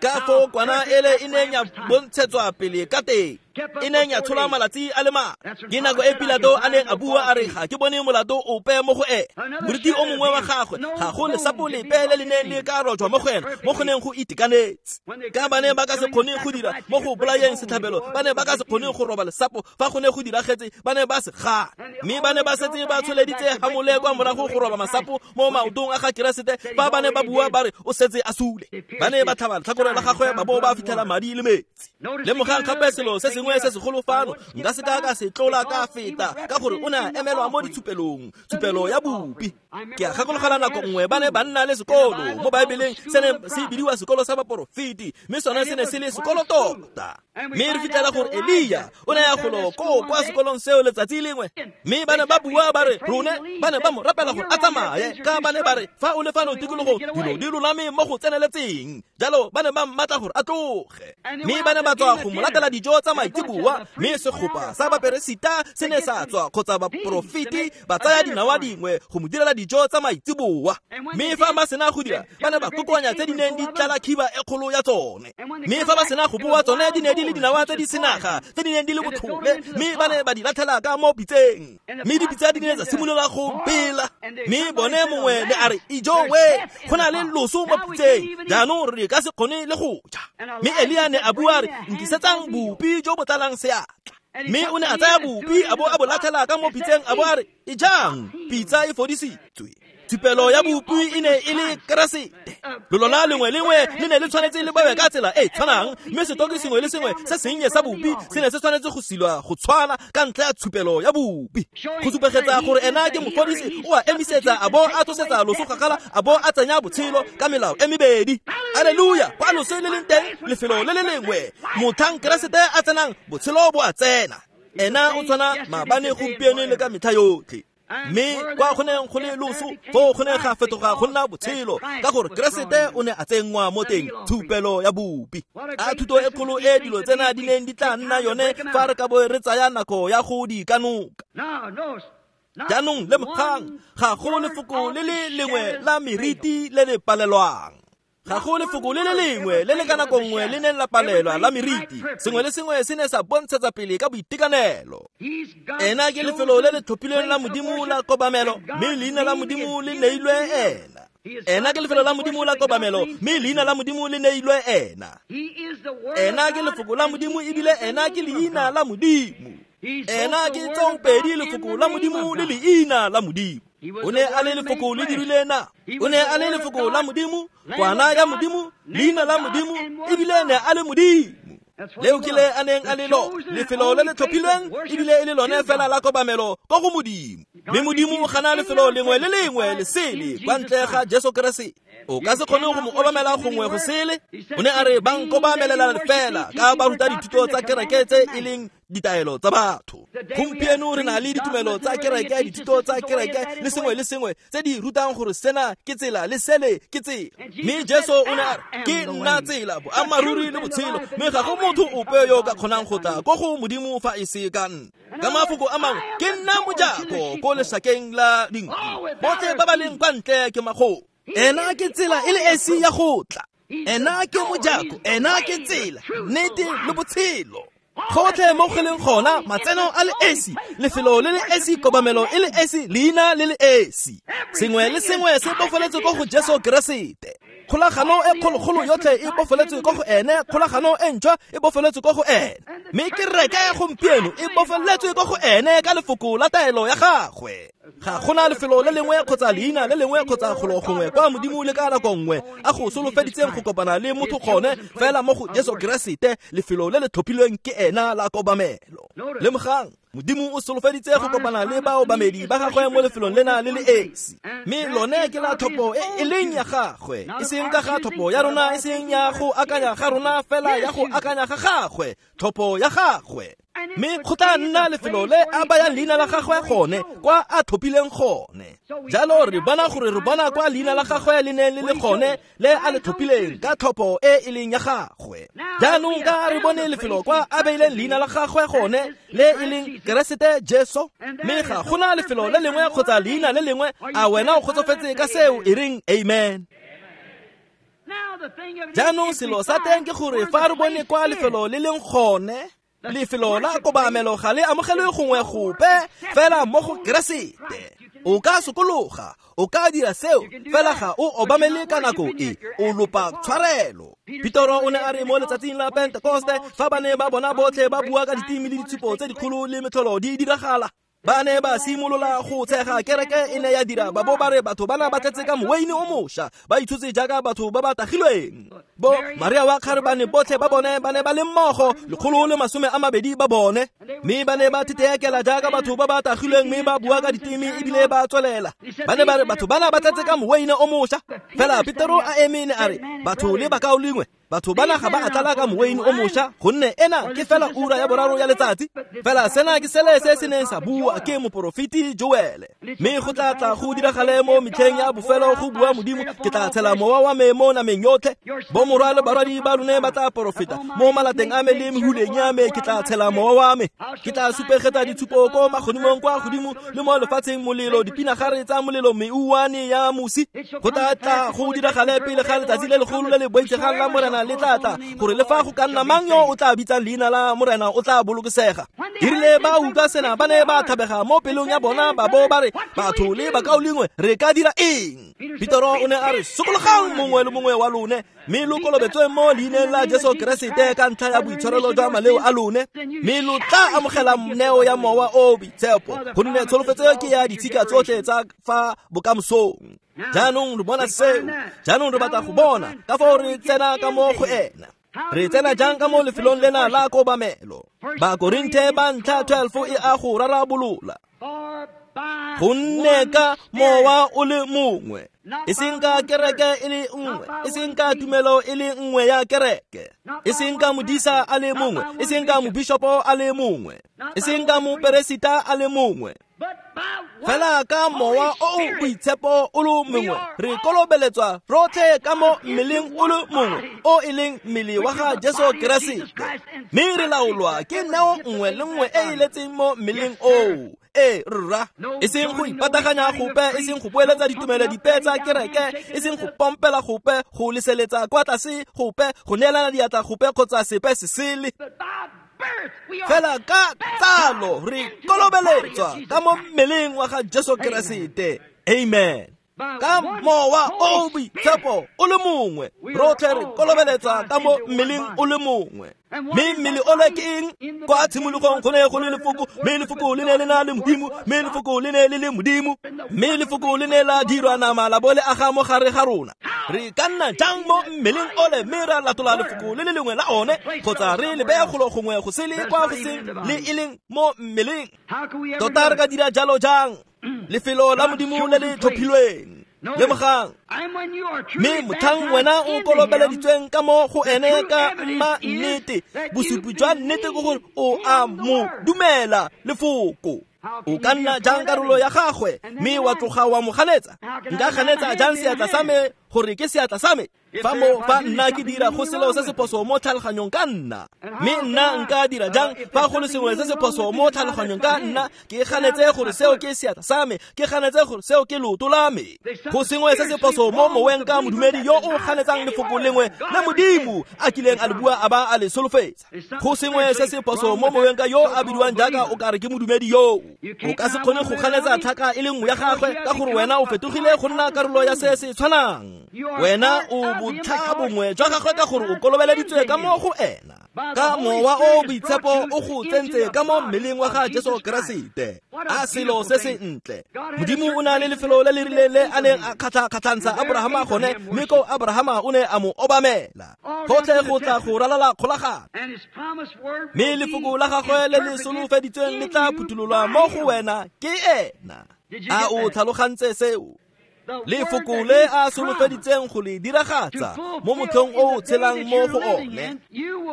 Ka foo kwana ele e neng ya bontshetswa pele ka teng, e neng ya tsholwa malatsi a le mane. Ke nako e Pilato a neng a bua a re, ga ke bone molato ope mo go ene. Moriti o mongwe wa gagwe, ga go lesapo lepe le le neng le ka rojwa mo go ene, mo go neng go itekanetse. Ka ba ne ba ka se kgone go dira mo go bolayeng setlhabelo, ba ne ba ka se kgone go roba lesapo fa go ne go diragetse, ba ne ba se gana. Mme ba ne ba setse ba tsholeditse hamole kwa morago go roba masapo mo maotong a ga Keresete, fa ba ne ba bua ba re o setse a sule. Ba ne ba tlhaba letlhakore la gagwe ba bo ba fitlhela madi le metsi. Lemogang gape selo se sengwe se segolo fano, nka se ka ka se tlola ka feta, ka gore o ne a emelwa mo ditshupelong, tshupelo ya bupi. Ke a gakologelwa nako nngwe ba ne ba nna le sekolo mo Baebeleng se ne se bidiwa sekolo sa baporofeti, mme sone se ne se le sekolo tota. Mme re fitlhela gore Elia o ne ya golo koo kwa sekolong seo letsatsi lengwe, mme ba ne ba bua ba re rone ba ne ba mo rapela gore a tsamaye, ka ba ne ba re fa o le fano tikologong dilo di lolame mo go tseneletseng. Jalo ba ne ba mmatla gore a tloge, mme ba ne ba tswa go mo latela dijo tsa maitseboa, mme segopa sa baperesita se ne sa tswa kgotsa baporofeti ba tsaya dinawa dingwe go mo direla dijo tsa maitseboa. Mme fa ba sena go dira, ba ne ba kokoanya tse di neng di tlala khiba e kgolo ya tsone. Mme fa ba sena go boa, tsone di ne di le dinawa tse di senaga tse di neng di le botlhole, mme ba ne ba di latlhela ka mo pitseng. Mme dipitsa di ne tsa simolola go bela. Mme bone mongwe ne a re, "Ijo we, go na le loso mo pitseng, jaanong re ka se kgone le go ja." Mme Elia ne a bua re, "Nkisetsang bupi jo bo tlalang seatla." Mme o ne a tsaya bupi a bo a bo latlhela ka mo pitseng a bo a re, "Ejang, pitsa e fodisitswe." Thupelo ya bupi e ne e le Keresete. Lolola lengwe lengwe le ne le tshwanetse le bewe ka tsela e tshwanang, mme setoki sengwe le sengwe se sennye sa bupi se ne se tshwanetse go silwa go tshwana ka ntlha ya tshupelo ya bupi. Go supegetsa gore ena ke mofodisi, o a emisetsa a bo a tlosetsa loso kgakala a bo a tsenya botshelo ka melao e mebedi. Alleluia! Kwa loso le leng teng, lefelo le le lengwe, motlhang Keresete a tsenang, botshelo bo a tsena. Ena o tshwana maabane, gompieno le ka metlha yotlhe. Mme kwa go neng go le loso, foo go ne ga fetoga go nna botshelo, ka gore Keresete o ne a tsenngwa mo teng, tshupelo ya bupi. A thuto e kgolo e dilo tsena di neng di tla nna yone fa re ka bo re tsaya nako ya go di kanoka. Jaanong lemogang, ga go lefoko le le lengwe la meriti le le palelwang. Ga go lefoko le le lengwe le le ka nako nngwe le neng la palelwa la meriti. Sengwe le sengwe se ne sa bontshetsa pele ka boitekanelo. Ena ke lefelo le le tlhophilweng la Modimo la kobamelo, mme leina la Modimo le neilwe ena. Ena ke lefelo la Modimo la kobamelo, mme leina la Modimo le neilwe ena. Ena ke lefoko la Modimo ebile ena ke leina la Modimo. Ena ke tsoopedi lefoko la Modimo le leina la Modimo. O ne a le lefoko le dirile na. O ne a le lefoko la Modimo, kwana ya Modimo, leina la Modimo, ebile ne a le Modimo. Leo ke le a neng a le lo, lefelo le le tlhophilweng ebile e le lone fela la kobamelo ko go Modimo. Mme Modimo o gana lefelo lengwe le lengwe le sele kwa ntle ga Jesu Keresete. O ka se kgone go mo obamela gongwe go sele. O ne a re ba nkobamelela fela ka ba ruta dithuto tsa kereke tse e leng ditaelo tsa batho. Gompieno re na le ditumelo tsa kereke, dithuto tsa kereke le sengwe le sengwe tse di rutang gore sena ke tsela le sele ke tsela. Mme Jesu o ne a re, "Ke nna tsela, boammaaruri le botshelo, mme ga go motho ope yo ka kgonang go tla ko go Modimo fa e se ka nna." Ka mafoko a mangwe, ke nna mojako ko lesakeng la dinku. Botlhe ba ba leng kwa ntle ke magodu. Ena ke tsela e le esi ya go tla. Ena ke mojako, ena ke tsela, nnete le botshelo. Gotlhe mo go leng gona, matseno a le esi, lefelo le le esi, kobamelo e le esi, leina le le esi. Sengwe le sengwe se bofeletswe ko go Jesu Keresete. Kgolagano e kgologolo yotlhe e bofeletswe ko go ene, kgolagano e ntšhwa e bofeletswe ko go ene. Mme kereke ya gompieno e bofeletswe ko go ene ka lefoko la taelo ya gagwe. Ga gona lefelo le lengwe kgotsa leina le lengwe kgotsa golo gongwe kwa Modimo le ka nako nngwe a go solofeditseng go kopana le motho gone fela mo go Jesu Keresete, lefelo le le tlhophilweng ke ena la kobamelo. Lemogang, Modimo o solofeditse go kopana le baobamedi ba gagwe mo lefelong lena le le esi. Mme lone ke la tlhopho e e leng ya gagwe, e seng ka ga tlhopho ya rona, e seng ya go akanya ga rona, fela ya go akanya ga gagwe, tlhopho ya gagwe. Mme go tla nna lefelo le a bayang leina la gagwe gone, kwa a tlhophileng gone. Jalo re bona gore re bona kwa leina la gagwe le neng le le gone, le a le tlhophileng ka tlhopho e e leng ya gagwe. Jaanong ka re bone lefelo kwa a beileng leina la gagwe gone, le e leng Keresete Jesu. Mme ga gona lefelo le lengwe kgotsa leina le lengwe. A wena o kgotsofetse ka seo? E reng amen. Jaanong selo sa teng ke gore fa re bone kwa lefelo le leng gone, lefelo la kobamelo ga le amogelwe gongwe gope fela mo go Keresete. O ka sokologa, o ka dira seo, fela ga o obamele ka nako e, o lopa tshwarelo. Petoro o ne a re mo letsatsing la Pentekoste, fa ba ne ba bona botlhe ba bua ka ditimi le ditshupo tse dikgolo le metlholo di diragala, ba ne ba simolola go tshega. Kereke e ne ya dira ba bo ba re batho bana ba tletse ka moweine o mošwa, ba itshotse jaaka batho ba ba tagilweng. Bo Maria wa kgarebane botlhe ba bone ba ne ba le mmogo, lekgolo le masome a mabedi ba bone, mme ba ne ba thetheekela jaaka batho ba ba tagilweng, mme ba bua ka ditimi ebile ba tswelela. Ba ne ba re batho bana ba tletse ka moweine o mošwa. Fela Petero a eme ne a re, batho le bakaulengwe, Batho bana ga ba a tlala ka moweine o mošwa, gonne ena ke fela ura ya boraro ya letsatsi. Fela sena ke sele se se neng sa bua ke moporofeti Joele. Mme go tla tla go diragale mo metlheng ya bofelo, go bua Modimo, ke tla tshela mowa wa me mo nameng yotlhe. Bomorwa le barwadi ba lone ba tla porofeta mo malateng a me le mehuleng ya me, ke tla tshela mowa wa me. Ke tla supegetsa ditshupo ko magodimong kwa godimo le mo lefatsheng, molelo, dipinagare tsa molelo, meuwane ya mosi. Go tla tla go diragale pele ga letsatsi le legolo le le boitshegang la Morena le tla tla, gore le fa go ka nna mang yo o tla bitsang leina la Morena o tla bolokesega. Erile ba utlwa sena, ba ne ba thabega mo pelong ya bona, ba bo ba re, batho le bakaulengwe, re ka dira eng? Petero o ne a re, sokologang mongwe le mongwe wa lone, mme lo kolobetswe mo leineng la Jesu Keresete ka ntlha ya boitshwarelo jwa maleo a lone, mme lo tla amogela neo ya Mowa o Boitshepo, gonne tsholofetso ke ya ditshika tsotlhe tsa fa bokamosong. Jaanong re bona seo, jaanong re batla go bona ka fao re tsena ka mo go ena. Re tsena jang ka mo lefelong lena la kobamelo? Bakorinthe ba ntlha twelve e a go rarabolola. Gonne ka mowa o le mongwe, e seng ka kereke e le nngwe, e seng ka tumelo e le nngwe ya kereke, e seng ka modisa a le mongwe, e seng ka mobishopo a le mongwe, e seng ka moperesita a le mongwe, fela ka mowa o o boitshepo o le mongwe re kolobeletswa rotlhe ka mo mmeleng o le mongwe o e leng mmele wa ga Jesu Keresete, mme re laolwa ke neo nngwe le nngwe e e letseng mo mmeleng oo. E rra, e seng go ipataganya gope, e seng go boeletsa ditumelo dipe tsa kereke, e seng go pompela gope, go leseletsa kwa tlase gope, go neelana diatla gope kgotsa sepe se sele. Fela ka tsalo re kolobeletswa ka mo mmeleng wa ga Jesu Keresete. Amen. Ka mowa o boitshepo o le mongwe rotlhe re kolobeletswa ka mo mmeleng o le mongwe. Mme mmele ole ke eng? Kwa tshimologong go ne go le lefoko, mme lefoko le ne le na le Modimo, mme lefoko le ne le le Modimo, mme lefoko le ne la dirwa nama la bo le aga mo gare ga rona. Re ka nna jang mo mmeleng ole mme ra latola lefoko le le lengwe la one, kgotsa re le beya golo gongwe go sele kwa go seng le e leng mo mmeleng? Tota re ka dira jalo jang? Lefelo la Modimo le le tlhophilweng. Lemogang, mme motlhang wena o kolobeleditsweng ka mo go ene ka mma nnete, bosupi jwa nnete ke gore o a mo dumela lefoko. O ka nna jang karolo ya gagwe mme wa tloga wa mo ganetsa? Nka ganetsa jang seatla sa me gore ke seatla sa me? Fa mo fa nna ke dira go selo se se phoso mo tlhaloganyong ka nna, mme nna nka dira jang fa go le sengwe se se phoso mo tlhaloganyong ka nna, ke ganetse gore seo ke seatla sa me, ke ganetse gore seo ke leoto la me? Go sengwe se se phoso mo moweng ka modumedi yo o ganetsang lefoko lengwe le Modimo a kileng a le bua a ba a le solofetsa. Go sengwe se se phoso mo moweng ka yo a bidiwang jaaka o kare ke modumedi yoo. O ka se kgone go ganetsa tlhaka e le nngwe ya gagwe ka gore wena o fetogile go nna karolo ya se se tshwanang. Wena o botlha bongwe jwa gagwe ka gore o kolobeleditswe ka mo go ena, ka mowa o boitshepo o go tsentse ka mo mmeleng wa ga Jesu Keresete. A selo se se ntle. Modimo o na le lefelo le le rileng le a neng a kgatlha-kgatlhantsha Abrahama gone, mme ko Abrahama o ne a mo obamela. Gotlhe go tla go ralala kgolagano, mme lefoko la gagwe le le solofeditsweng le tla phuthololwa mo go wena ke ena. A o tlhalogantse seo? Lefoko le a solofeditseng go le diragatsa mo motlhong o o tshelang mo go one,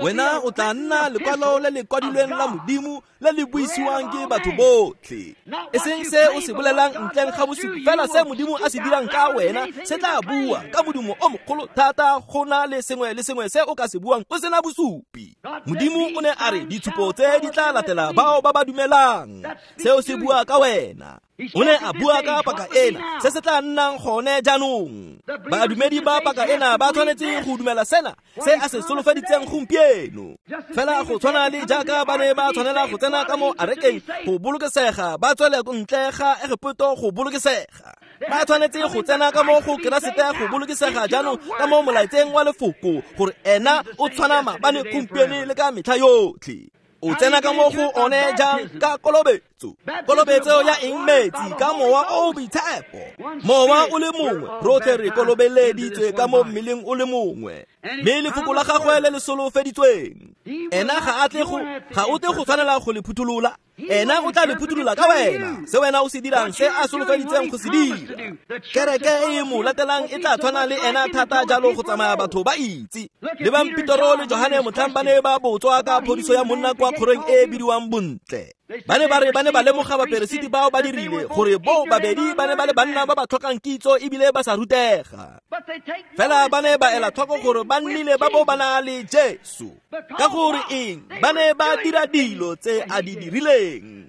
wena o tla nna lekwalo le le kwadilweng la Modimo le le buisiwang ke batho botlhe. E seng se o se bolelang ntleng ga bosupi, fela se Modimo a se dirang ka wena se tla bua ka modumo o mogolo thata go na le sengwe le sengwe se o ka se buang o sena bosupi. Modimo o ne a re ditshupo tse di tla latela bao ba ba dumelang. Seo se bua ka wena. O ne a bua ka paka ena, se se tla nnang gone jaanong. Badumedi ba paka ena ba tshwanetse go dumela sena se a se solofeditseng gompieno. Fela go tshwana le jaaka ba ne ba tshwanela go tsena ka mo arekeng go bolokesega, ba tswele ntle ga Egepeto go bolokesega. Ba tshwanetse go tsena ka mo go Keresete go bolokesega jaanong ka mo molaetseng wa lefoko, gore ena o tshwana maabane, gompieno le ka metlha yotlhe. O tsena ka mo go one jang? Ka kolobetso. Kolobetso ya eng? Metsi, ka mowa o boitshepo. Mowa o le mongwe, rotlhe re kolobeleditswe ka mo mmeleng o le mongwe, mme lefoko la gagwe le le solofeditsweng, ena ga a tle go ga o tle go tshwanela go le phutholola. Ena o tla le phuthulola ka wena se wena o se dirang se a solofeditseng go se dira. Kereke e mo latelang e tla tshwana le ena thata jalo go tsamaya batho ba itse. Lebang Petro le Johane motlhang ba ne ba botswa ka phodiso ya monna kwa kgorong e e bidiwang Bontle. Ba ne ba re ba ne ba lemoga baperesiti bao ba dirile gore bo babedi ba ne ba le banna ba ba tlhokang kitso ebile ba sa rutega. Fela ba ne ba ela tlhoko gore ba nnile ba bo ba na le Jesu. Ka gore eng? Ba ne ba dira dilo tse a di dirileng.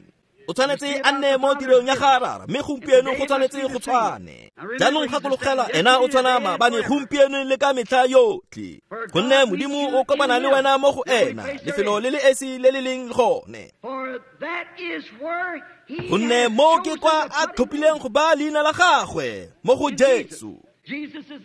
O tshwanetse a nne mo tirong ya ga Rara, mme gompieno go tshwanetse go tshwane. Jaanong gakologela ena o tshwana maabane gompieno le ka metlha yotlhe. Gonne Modimo o kopana le wena mo go ena, lefelo le le esi le le leng gone. Gonne mo ke kwa a tlhophileng go ba leina la gagwe, mo go Jesu.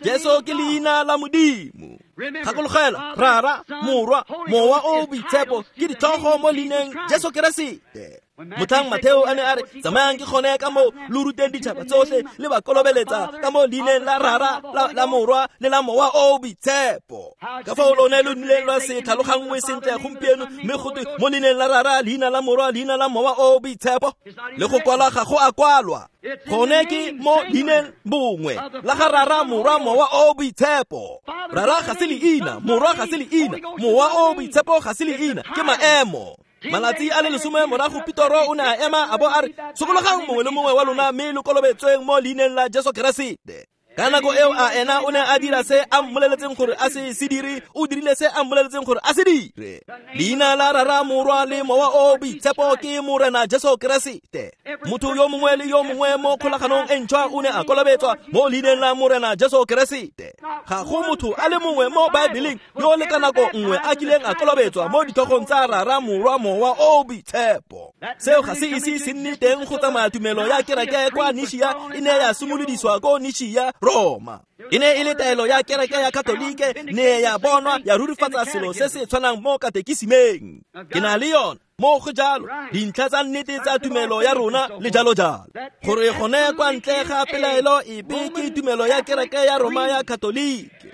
Jesu ke leina la Modimo. Gakologela Rara, Morwa, Mowa o Boitshepo ke ditlhogo mo leineng Jesu Keresete. Motlhang Matheo a ne a re tsamayang ke gone ka mo lo ruteng ditšhaba tsotlhe le ba kolobeletsa ka mo leineng la Rara, la, la Morwa le la Mowa o Boitshepo. Ka fao lone lo nnileng lwa se tlhaloganngwe sentle gompieno, mme gotwe mo leineng la Rara, leina la Morwa, leina la Mowa o Boitshepo. Le go kwalwa ga go a kwalwa. Gone ke mo leineng bongwe la ga Rara, Morwa, Mowa o Boitshepo. Rara ga se leina, Morwa ga se leina, Mowa o Boitshepo ga se leina, ke maemo. Malatsi a le lesome morago Petro o ne a ema a bo a re sokologang mongwe le mongwe wa lona mme lo kolobetsweng mo leineng la Jesu Keresete. Ka nako eo a ena o ne a dira se a mmoleletseng gore a se se dire, o dirile se a mmoleletseng gore a se dire. Leina la Rara, Morwa le Mowa o Boitshepo ke Morena Jesu Keresete. Motho yo mongwe le yo mongwe mo kgolaganong e ntšhwa o ne a kolobetswa mo leineng la Morena Jesu Keresete. Ga go motho a le mongwe mo Baebeleng yo le ka nako nngwe a kileng a kolobetswa mo ditlhogong tsa Rara, Morwa, Mowa o Boitshepo. Seo ga se ise se nne teng go tsamaya tumelo ya kereke kwa Nishia e ne ya simolodisiwa ko Nishia, Roma. E ne e le taelo ya kereke ya Katolike ne ya bonwa ya rurifatsa selo se se tshwanang mo katekisimeng. Ke na le yone mo go jalo dintlha tsa nnete tsa tumelo ya rona le jalo jalo. Gore gone kwa ntle ga pelaelo epe ke tumelo ya kereke ya Roma ya Katolike.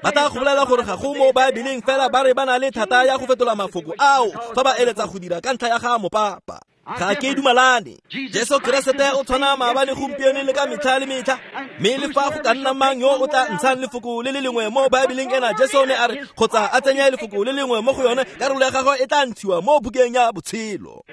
Ba tla go bolela gore ga go mo Baebeleng fela ba re ba na le thata ya go fetola mafoko ao fa ba eletsa go dira ka ntlha ya ga mopapa. Ga ke dumalane. Jesu Keresete o tshwana maabane gompieno le ka metlha le metlha. Mme le fa go ka nna mang yo o tla ntshang lefoko le le lengwe mo Baebeleng ena, Jesu ne a re kgotsa a tsenya lefoko le lengwe mo go yone, karolo ya gagwe e tla ntshiwa mo bukeng ya botshelo.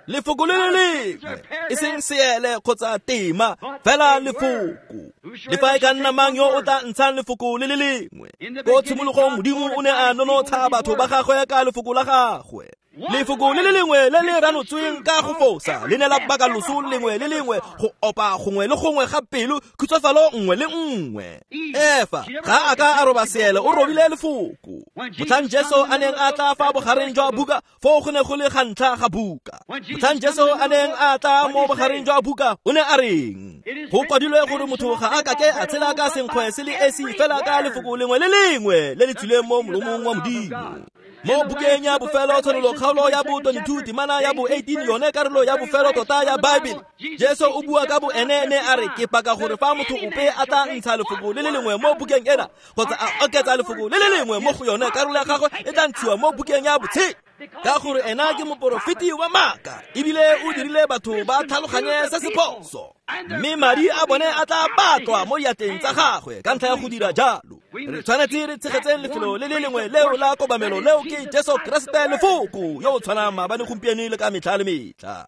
Lefoko le le lengwe, e seng seele kgotsa tema, fela lefoko. Le fa e ka nna mang yo o tla ntshang lefoko le le lengwe. Ko tshimologong Modimo o ne a nonotsha batho ba gagwe ka lefoko la gagwe. Lefoko le le lengwe le le ranotsweng ka go fosa le ne la baka loso lengwe le lengwe, go opa gongwe le gongwe ga pelo, khutsafalo nngwe le nngwe. Efa ga a ka a roba seele, o robile lefoko. Motlhang Jesu a neng a tla fa bogareng jwa buka, foo go ne go le ga ntlha ga buka. Motlhang Jesu a neng a tla mo bogareng jwa buka, o ne a reng? Go kwadilwe gore motho ga a kake a tshela ka senkgwe se le esi fela ka lefoko lengwe le lengwe le le tswileng mo molomong wa Modimo. Mo bukeng ya bofelo tshwanelo kgaolo ya bo twenty-two temana ya bo eighteen yone karolo ya bofelo tota ya Baebele, Jesu o bua ka bo ene ne a re ke paka gore fa motho ope a tla ntsha lefoko le le lengwe mo bukeng ena kgotsa a oketsa lefoko le le lengwe mo go yone, karolo ya gagwe e tla ntshiwa mo bukeng ya botshelo. Ka gore ena ke moporofeti wa maaka ebile o dirile batho ba tlhaloganye se se phoso, mme madi a bone a tla batlwa mo diatleng tsa gagwe ka ntlha ya go dira jalo. Re tshwanetse re tshegetseng lefelo le le lengwe leo la kobamelo, leo ke Jesu Keresete lefoko yo o tshwanang maabane gompieno le ka metlha le metlha.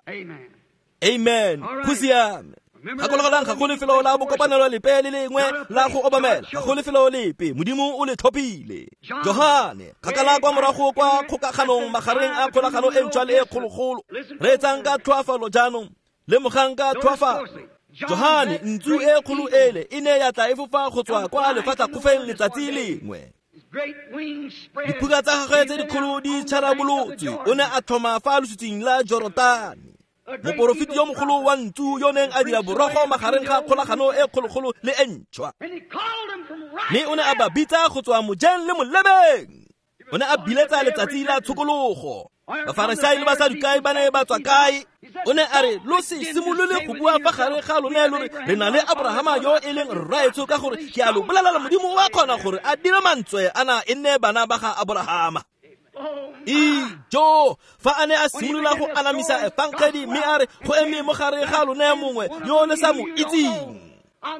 Amen. Go siame. Gakologelang ga go lefelo la bokopanelo lepe le lengwe la go obamela, ga go lefelo lepe, Modimo o le tlhophile. Johane kgakala kwa morago kwa kgokaganong magareng a kgolagano e ntšhwa le e kgologolo. Reetsang ka tlhoafalo jaanong, lemogang ka tlhoafalo. Johane ntsu e kgolo ele e ne ya tla e fofa go tswa kwa lefatlhakgofeng letsatsi lengwe. Diphuka tsa gagwe tse dikgolo di tšharabolotswe, o ne a tlhoma fa lositsing la Jorodane. Moporofeti yo mogolo wa ntsu yo neng a dira borogo magareng ga kgolagano e kgologolo le e ntšhwa. Mme o ne a ba bitsa go tswa mojeng le molemeng. O ne a biletsa letsatsi la tshokologo. Bafarisai le Basadukai ba ne ba tswa kae? O ne a re lo se simolole go bua fa gare ga lone lo re re na le Abrahama yo e leng rraetsho, ka gore ke a lo bolelela Modimo o a kgona gore a dire mantswe ana e nne bana ba ga Abrahama. Ijo, fa a ne a simolola go anamisa efangedi mme a re go eme mo gare ga lone mongwe yo le sa mo itseng.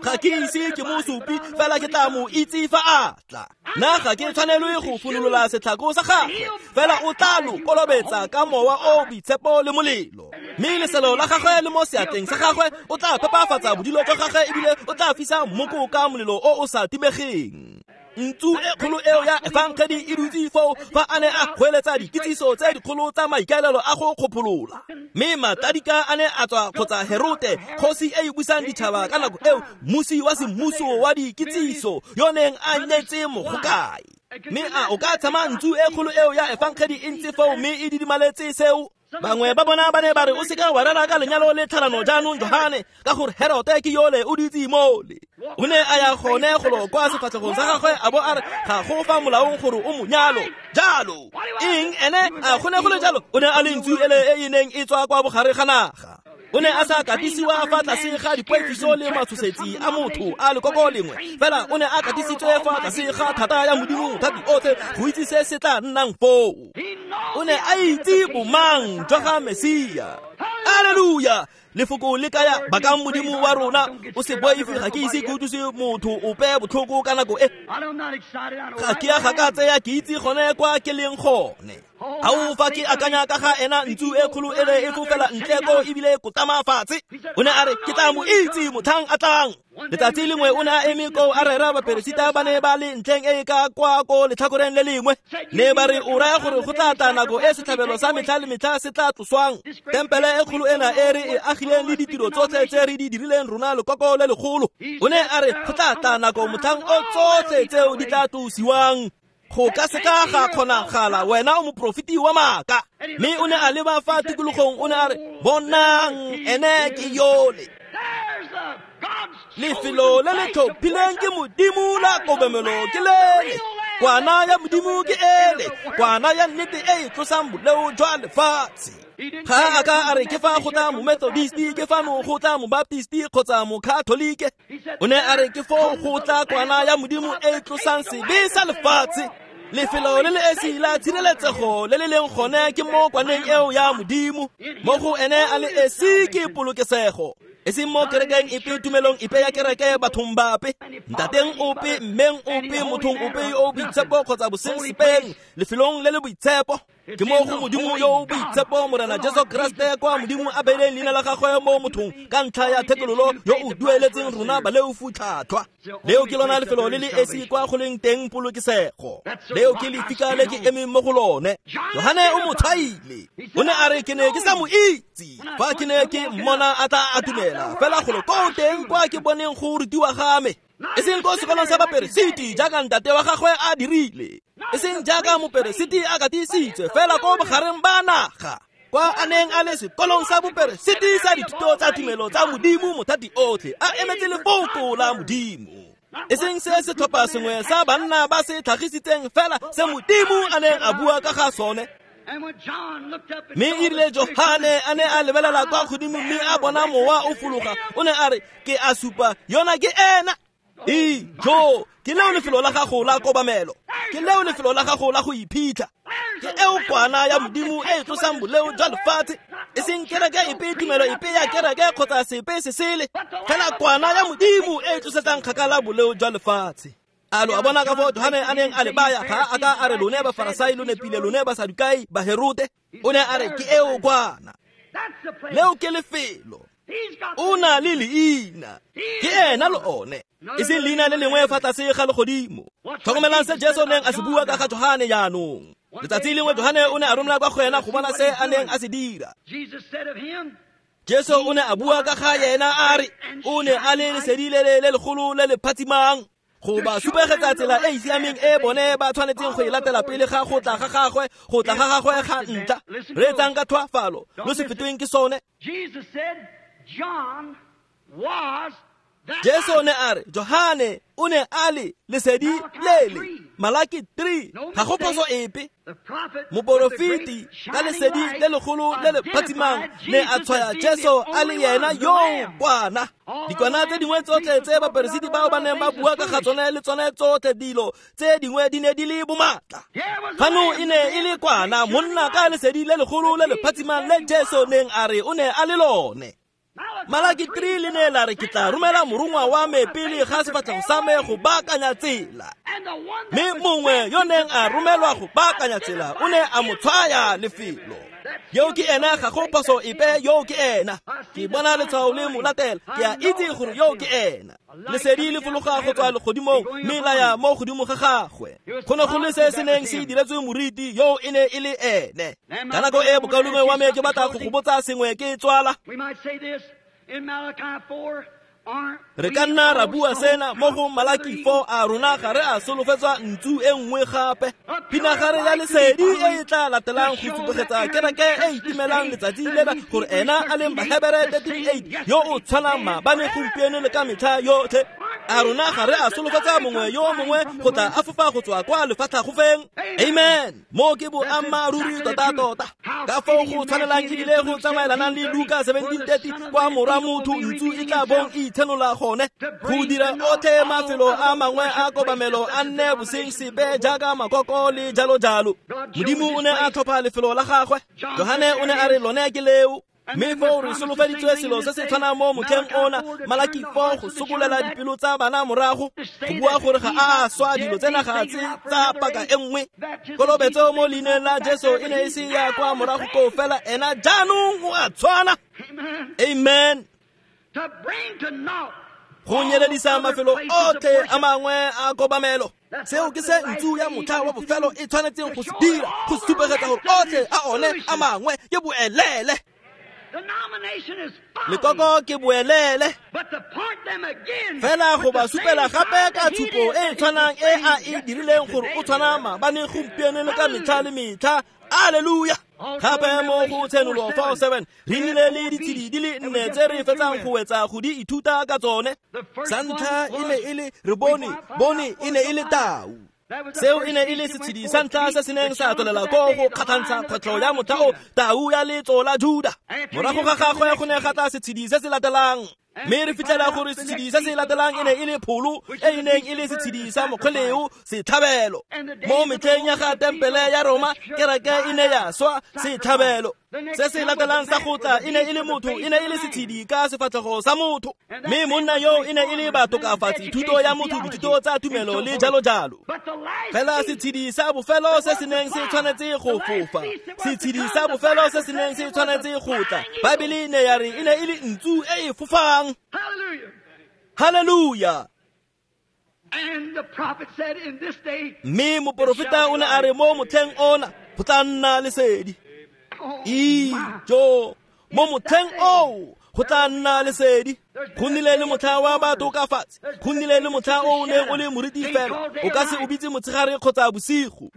Ga ke ise ke mo supi, fela ke tla mo itse fa a tla. Nna ga ke tshwanelwe go funolola setlhako sa gagwe, fela o tla lo kolobetsa ka mowa o boitshepo le molelo. Mme leselo la gagwe le mo seatleng sa gagwe, o tla phepafatsa bodilo jwa gagwe ebile o tla fisa mmoko ka molelo o o sa timegeng. Ntsu e kgolo eo ya efangedi e dutse foo fa a ne a goeletsa dikitsiso tse dikgolo tsa maikaelelo a go kgopholola. Mme matadika a ne a tswa kgotsa Herote, kgosi e e busang ditšhaba ka nako eo, mmusi wa semmuso wa dikitsiso yo neng a nyetse mogokae. Mme a o ka tshama ntsu e kgolo eo ya efangedi e ntse foo mme e didimaletse seo? Bangwe ba bona ba ne ba re o seka wa rera ka lenyalo le tlhalano jaanong Johane, ka gore Herote ke yole o dutse mole. O ne a ya gone golo kwa sefatlhegong sa gagwe a bo a re ga go fa molaong gore o mo nyalo. Jalo eng ene a go ne go le jalo? O ne a le ntsu ele e e neng e tswa kwa bogare ga naga. O ne a sa katisiwa fa tlase ga dipoifiso le matshosetsi a motho a lekoko lengwe, fela o ne a katisitswe fa tlase ga thata ya Modimo thati otlhe go itse se se tla nnang foo. O ne a itse bomang jwa ga Mesia. Alleluia! Lefoko le kaya bakang Modimo wa rona, o se boife, ga ke ise ke utlwise motho ope botlhoko ka nako e. Ga ke a gakatseya, ke itse gone kwa ke leng gone. Ao fa ke akanya ka ga ena ntsu e kgolo ele e fofela ntle ko ebile kotama fatshe. O ne a re ke tla mo itse motlhang a tlang. Letsatsi lengwe o ne a eme koo a rera baperesita ba ne ba le ntlheng e ka kwa ko letlhakoreng le lengwe. Ne ba re o raya gore go tla tla nako e setlhabelo sa metlha le metlha se tla tloswang. Tempele e kgolo ena e re e agileng le ditiro tsotlhe tse re di dirileng rona lekoko le legolo. O ne a re go tla tla nako motlhang o tsotlhe tseo di tla tlosiwang. Go ka seka ga kgonagala, wena o moprofeti wa maaka. Mme o ne a leba fa tikologong, o ne a re bonang ene ke yole. Lefelo le le tlhophileng ke Modimo la kobamelo ke lele. Kwana ya Modimo ke ele, kwana ya nnete e e tlosang boleo jwa lefatshe. Ga a ka a re ke fa go tla momethodist, ke fano go tla mobaptist kgotsa mokatholike. O ne a re ke foo go tla kwana ya Modimo e e tlosang sebe sa lefatshe. Lefelo le le esi la tshireletsego le le leng gone ke mo kwaneng eo ya Modimo. Mo go ene a le esi ke polokesego. E seng mo kerekeng epe, tumelong epe ya kereke, bathong bape, ntateng ope, mmeng ope, mothong ope yo o boitshepo kgotsa boseng lefelong le le boitshepo. Ke mo go Modimo yo o boitshepo, Morena Jesu Kriste, kwa Modimo a beileng leina la gagwe mo mothong ka ntlha ya thekololo yo o dueletseng rona baleofu tlhatlhwa. Leo ke lona lefelo le le esi kwa go leng teng polokesego. Leo ke lefika le ke emeng mo go lone. Johane o mo tshwaile. O ne a re ke ne ke sa mo itse fa ke ne ke mmona a tla a dumela, fela golo ko teng kwa ke boneng go rutiwa ga me. E seng ko sekolong sa baperesiti jaaka ntate wa gagwe a dirile, e seng jaaka moperesiti a katisitswe, fela ko bogareng ba naga kwa a neng a le sekolong sa boperesiti sa dithuto tsa tumelo tsa Modimo mothati otlhe, a emetse lefoko la Modimo. E seng se setlhopha sengwe sa banna ba se tlhagisitseng, fela se Modimo a neng a bua ka ga sone. Mme erile Johane a ne a lebelela kwa godimo mme a bona mowa o fologa, o ne a re ke a supa yona ke ena. Ijo, ke leo lefelo la gago la kobamelo, ke leo lefelo la gago la go iphitlha. Ke eo kwana ya Modimo e e tlosang boleo jwa lefatshe. E seng kereke epe, tumelo epe ya kereke kgotsa sepe se sele, fela kwana ya Modimo e e tlosetsang kgakala boleo jwa lefatshe. A lo a bona ka foo Johane a neng a le baya? Ga a ka a re lone Bafarasai lo nepile, lone Basadukai, Baherote. O ne a re ke eo kwana. Leo ke lefelo. O na le leina, ke ena le one, e seng leina le lengwe fa tlase ga legodimo. Tlhokomelang se Jesu neng a se bua ka ga Johane jaanong. Letsatsi lengwe Johane o ne a romela kwa go ena go bona se a neng a se dira. Jesu o ne a bua ka ga yena a re o ne a le lesedi le le legolo le le phatsimang go ba supegetsa tsela e e siameng e bone ba tshwanetseng go e latela pele ga go tla ga gagwe, go tla ga gagwe ga ntlha. Reetsang ka tlhoafalo, lo se fetweng ke sone. John was Jesu ne a re Johane o ne a le lesedi lele. Malaki three ga go phoso epe. Moporofeti ka lesedi le legolo le le phatsimang ne a tshwaya Jesu a le yena yo kwana. Dikwana tse dingwe tsotlhe tse baperesiti bao ba neng ba bua ka ga tsone le tsone tsotlhe dilo tse dingwe di ne di le bomatla. Fano e ne e le kwana monna ka lesedi le legolo le le phatsimang le Jesu neng a re o ne a le lone. Malaki three le ne la re ke tla romela morongwa wa me pele ga sefatlhego sa me go baakanya tsela. Mme mongwe yo neng a romelwa go baakanya tsela o ne a mo tshwaya lefelo. Yo ke ena ga go phoso epe, yo ke ena. Ke bona letshwao le mo latela, ke a itse gore yo ke ena. Lesedi le fologa go tswa legodimong mme la ya mo godimo ga gagwe. Go ne go le se se neng se diretswe moriti, yo e ne e le ene. Ka nako e bokaulengwe wa me ke batla go go botsa sengwe ke tswala. Re ka nna ra bua sena mo go Malaki four a rona ga re a solofetswa ntsu e nngwe gape. Pinagare ya lesedi e e tla latelang go supegetsa kereke e itimelang letsatsi lena gore ena a leng Bahebere thirteen eight yo o tshwanang maabane gompieno le ka metlha yotlhe. A rona ga re a solofetsa mongwe yo mongwe go tla a fofa go tswa kwa lefatlhagofeng. Amen. Mo ke boammaaruri tota-tota. Ka foo go tshwanelang ebile go tsamaelanang le Luka seventeen thirty kwa morwa motho ntsu e tla bong e itshenola gone go dira otlhe mafelo a mangwe a kobamelo a nne boseng sepe jaaka makoko le jalo jalo. Modimo o ne a tlhopha lefelo la gagwe. Johane o ne a re lone ke leo. Mme foo re solofeditswe selo se se tshwanang mo motlheng ona. Malaki four go sokolela dipelo tsa bana morago go bua gore ga a swa dilo tsena ga tse tsa paka e nngwe. Kolobetso mo leineng la Jesu e ne e se ya kwa morago koo fela, ena jaanong o a tshwana. Amen. Go nyeledisa mafelo otlhe a mangwe a kobamelo. Seo ke se ntsu ya motlha wa bofelo e tshwanetseng go se dira, go supegetsa gore otlhe a one a mangwe ke boelele. Lekoko ke boelele. Fela go ba supela gape ka tshupo e tshwanang e a e dirileng gore o tshwana maabane gompieno le ka metlha le metlha. Alleluia. Gape mo go Tshenolo four seven re nnile le ditshedi di le nne tse re fetsang go wetsa go di ithuta ka tsone. Sa ntlha e ne e le re bone, bone e ne e le tau. Seo e ne e le setshedi sa ntlha se se neng sa tswelela ko go kgatlhantsha kgwetlho ya motlha o, tau ya letso la Juda. Morago ga gagwe go ne ga tla setshedi se se latelang. Mme re fitlhela gore setshedi se se latelang e ne e le pholo e e neng e le setshedi sa mokgweleo setlhabelo. Mo metlheng ya ga tempele ya Roma kereke e ne ya swa setlhabelo. Se se latelang sa go tla e ne e le motho, e ne e le setshedi ka sefatlhego sa motho. Mme monna yo e ne e le batokafatsi, thuto ya motho, dithuto tsa tumelo le jalo jalo. Fela setshedi sa bofelo se se neng se tshwanetse go fofa, setshedi sa bofelo se se neng se tshwanetse go tla, Baebele ne ya re e ne e le ntsu e e fofang. Hallelujah. Mme moporofeta o ne a re mo motlheng ona go tla nna lesedi. Ijo, mo motlheng oo go tla nna lesedi. Go nnile le motlha wa batokafatsi, go nnile le motlha o o neng o le moriti fela, o ka se o bitse motshegare kgotsa bosigo.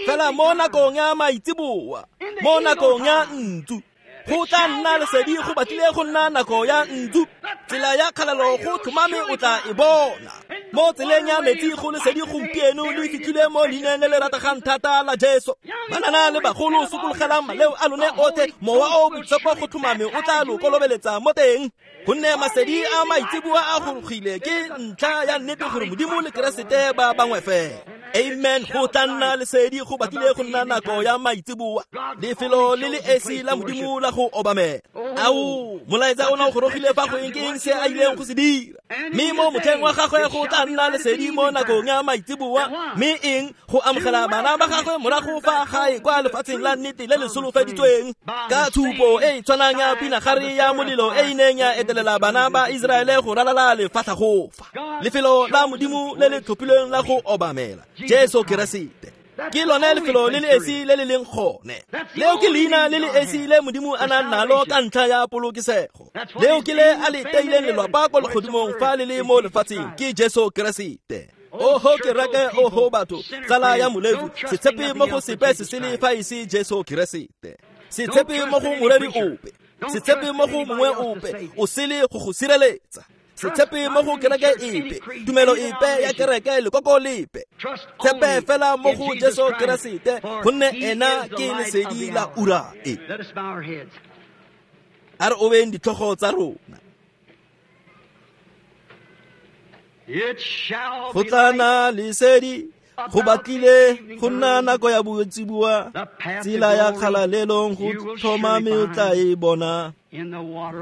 Fela mo nakong ya maitseboa, mo nakong ya ntsu, go tla nna lesedi. Go batlile go nna nako ya ntsu. Tsela ya kgalelo go tlhomame o tla e bona. Mo tseleng ya metsi go lesedi gompieno le fitlhile mo leineng le le rategang thata la Jesu. Banana le bagolo sokologelang maleo a lone otlhe, mowa o boitshepo go tlhomame o tla lo kolobeletsa mo teng. Gonne masedi a maitseboa a gorogile ke ntlha ya nnete gore Modimo le Keresete ba bangwe fela. Amen. Go tla nna lesedi, go batlile go nna nako ya maitseboa, lefelo le le esi la Modimo la go obamela. Ao, molaetsa ona o gorogile fa go eng ke eng se a ileng go se dira. Mme mo motlheng wa gagwe go tla nna lesedi mo nakong ya maitseboa, mme eng go amogela bana ba gagwe morago fa gae kwa lefatsheng la nnete le le solofeditsweng. Ka tshupo e e tshwanang ya pinagare ya molelo e e neng ya etelela bana ba Iseraele go ralala lefatlhagofa, lefelo la Modimo le le tlhophilweng la go obamela Jesu Keresete. Ke lone lefelo le le esi le le leng gone. Leo ke leina le le esi le Modimo a nang nalo ka ntlha ya polokesego. Leo ke le a le teileng lelwapa ko legodimong fa le le mo lefatsheng, ke Jesu Keresete. Oho kereke, oho batho, tsala ya molefi, se tshepe mo go sepe se sele fa e se Jesu Keresete. Se tshepe mo go moreri ope, se tshepe mo go mongwe ope, o sele go go sireletsa. Se tshepe mo go kereke epe, tumelo epe ya kereke lekoko lepe. Tshepe fela mo go Jesu Keresete, gonne ena ke lesedi la ura e. A re obeng ditlhogo tsa rona. Go tla nna lesedi, go batlile go nna nako ya boitsibua, tsela ya kgalalelong go tlhomame o tla e bona.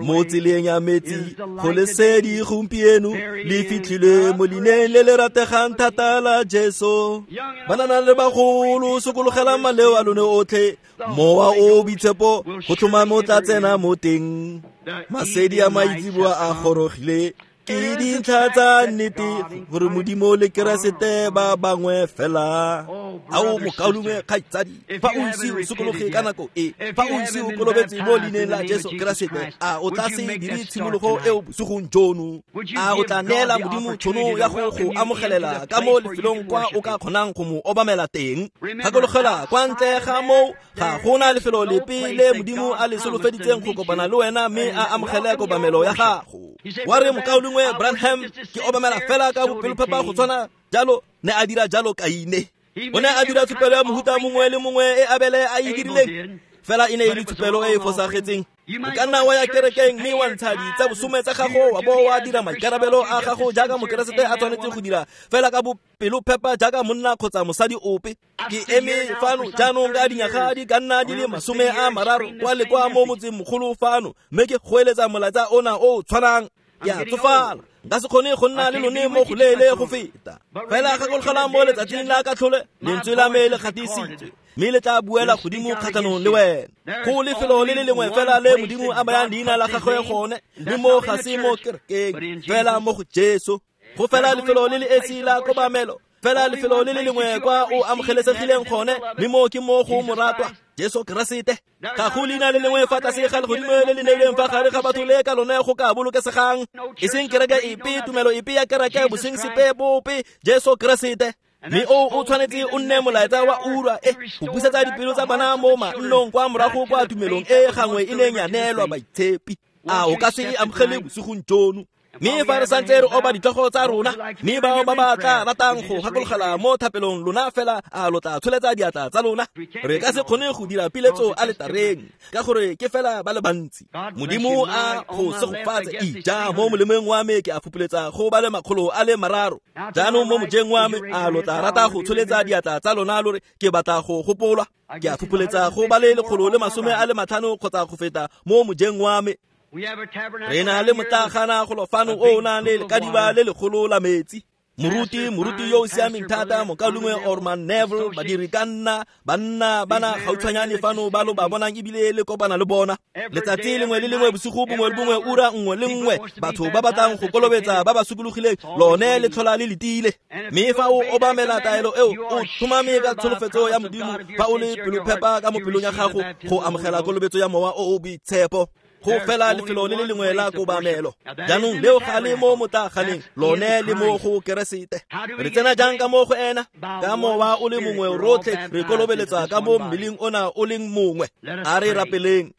Mo tseleng ya metsi go lesedi gompieno le fitlhile mo leineng le le rategang thata la Jesu. Banana le bagolo, sokologelang maleo a lone otlhe, mowa o boitshepo go tlhomame o tla tsena mo teng. Masedi a maitseboa a gorogile, ke dintlha tsa nnete gore Modimo le Keresete ba bangwe fela. Ao mokaulengwe kgaitsadi, fa o ise o sokologe ka nako e, fa o ise o kolobetse mo leineng la Jesu Keresete, a o tla se dire tshimologo eo bosigong jono? A o tla neela Modimo tšhono ya go go amogelela ka mo lefelong kwa o ka kgonang go mo obamela teng? Gakologelwa, kwa ntle ga moo ga gona lefelo lepe le Modimo a le solofeditseng go kopana le wena mme a amogele kobamelo ya gago. Wa re, mokaulengwe Branham, ke obamela fela ka bopelophepa go tshwana jalo ne a dira jalo Kaine. O ne a dira tshupelo ya mohuta mongwe le mongwe e Abele a e dirileng, fela e ne e le tshupelo e e fosagetseng. O ka nna wa ya kerekeng mme wa ntsha ditsa bosome tsa gago, wa bo wa dira maikarabelo a gago jaaka mokeresete a tshwanetse go dira, fela ka bopelophepa jaaka monna kgotsa mosadi ope. Ke eme fano jaanong ka dinyaga di ka nna di le masome a mararo kwa le kwa mo motseng mogolo fano, mme ke goeletsa molaetsa ona o o tshwanang. Ke a tsofala, nka se kgone go nna le lone mo go leele go feta. Fela gakologelwang mo letsatsing la katlhole, lentswe la me le gatisitswe, mme le tla buela godimo kgatlhanong le wena. Go lefelo le le lengwe fela le Modimo a bayang leina la gagwe gone, mme mo ga se mo kerekeng, fela mo go Jesu. Go fela lefelo le le esi la kobamelo, fela lefelo le le lengwe kwa o amogelesegileng gone, mme mo ke mo go moratwa Jesu Keresete. Ga go leina le lengwe fa tlase ga legodimo le le neilweng fa gare ga batho le ka lone go ka bolokesegang, e seng kereke epe, tumelo epe ya kereke, boseng sepe bope, Jesu Keresete. Mme o o tshwanetse o nne molaetsa wa ura e, go busetsa dipelo tsa bana mo mannong kwa morago kwa tumelong e gangwe e neng ya neelwa baitshepi. A o ka se e amogele bosigong jono? Mme fa re santse re oba ditlhogo tsa rona, mme bao ba ba tla ratang go gakologela mo thapelong lona fela, a lo tla tsholetsa diatla tsa lona? Re ka se kgone go dira piletso aletareng ka gore ke fela ba le bantsi. Modimo a go segofatse. Ija mo molemeng wa me ke a fupuletsa go ba le makgolo a le mararo. Jaanong mo mojeng wa me, a lo tla rata go tsholetsa diatla tsa lona lo re ke batla go gopolwa? Ke a fupuletsa go ba le lekgolo le masome a le matlhano kgotsa go feta mo mojeng wa me. Re na le motlagana golo fano o o nang le lekadiba le legolo la metsi. Moruti, moruti yo o siameng thata, mokaulengwe Orman Neville, badiri ka nna, banna bana gautshwanyane fano ba lo ba bonang ebile le kopana le bona. Letsatsi lengwe le lengwe, bosigo bongwe le bongwe, ura nngwe le nngwe, batho ba batlang go kolobetsa ba ba sokologileng, lone le tlhola le letile. Mme fa o obamela taelo eo, o tlhomame ka tsholofetso ya Modimo, fa o le pelophepa ka mo pelong ya gago go amogela kolobetso ya mowa o o boitshepo. Go fela lefelo le le lengwe la kobamelo. Jaanong leo ga le mo motlaganeng, lone le mo go Keresete. Re tsena jang ka mo go ena? Ka mowa o le mongwe rotlhe re kolobeletsa ka mo mmeleng ona o leng mongwe. A re rapeleng.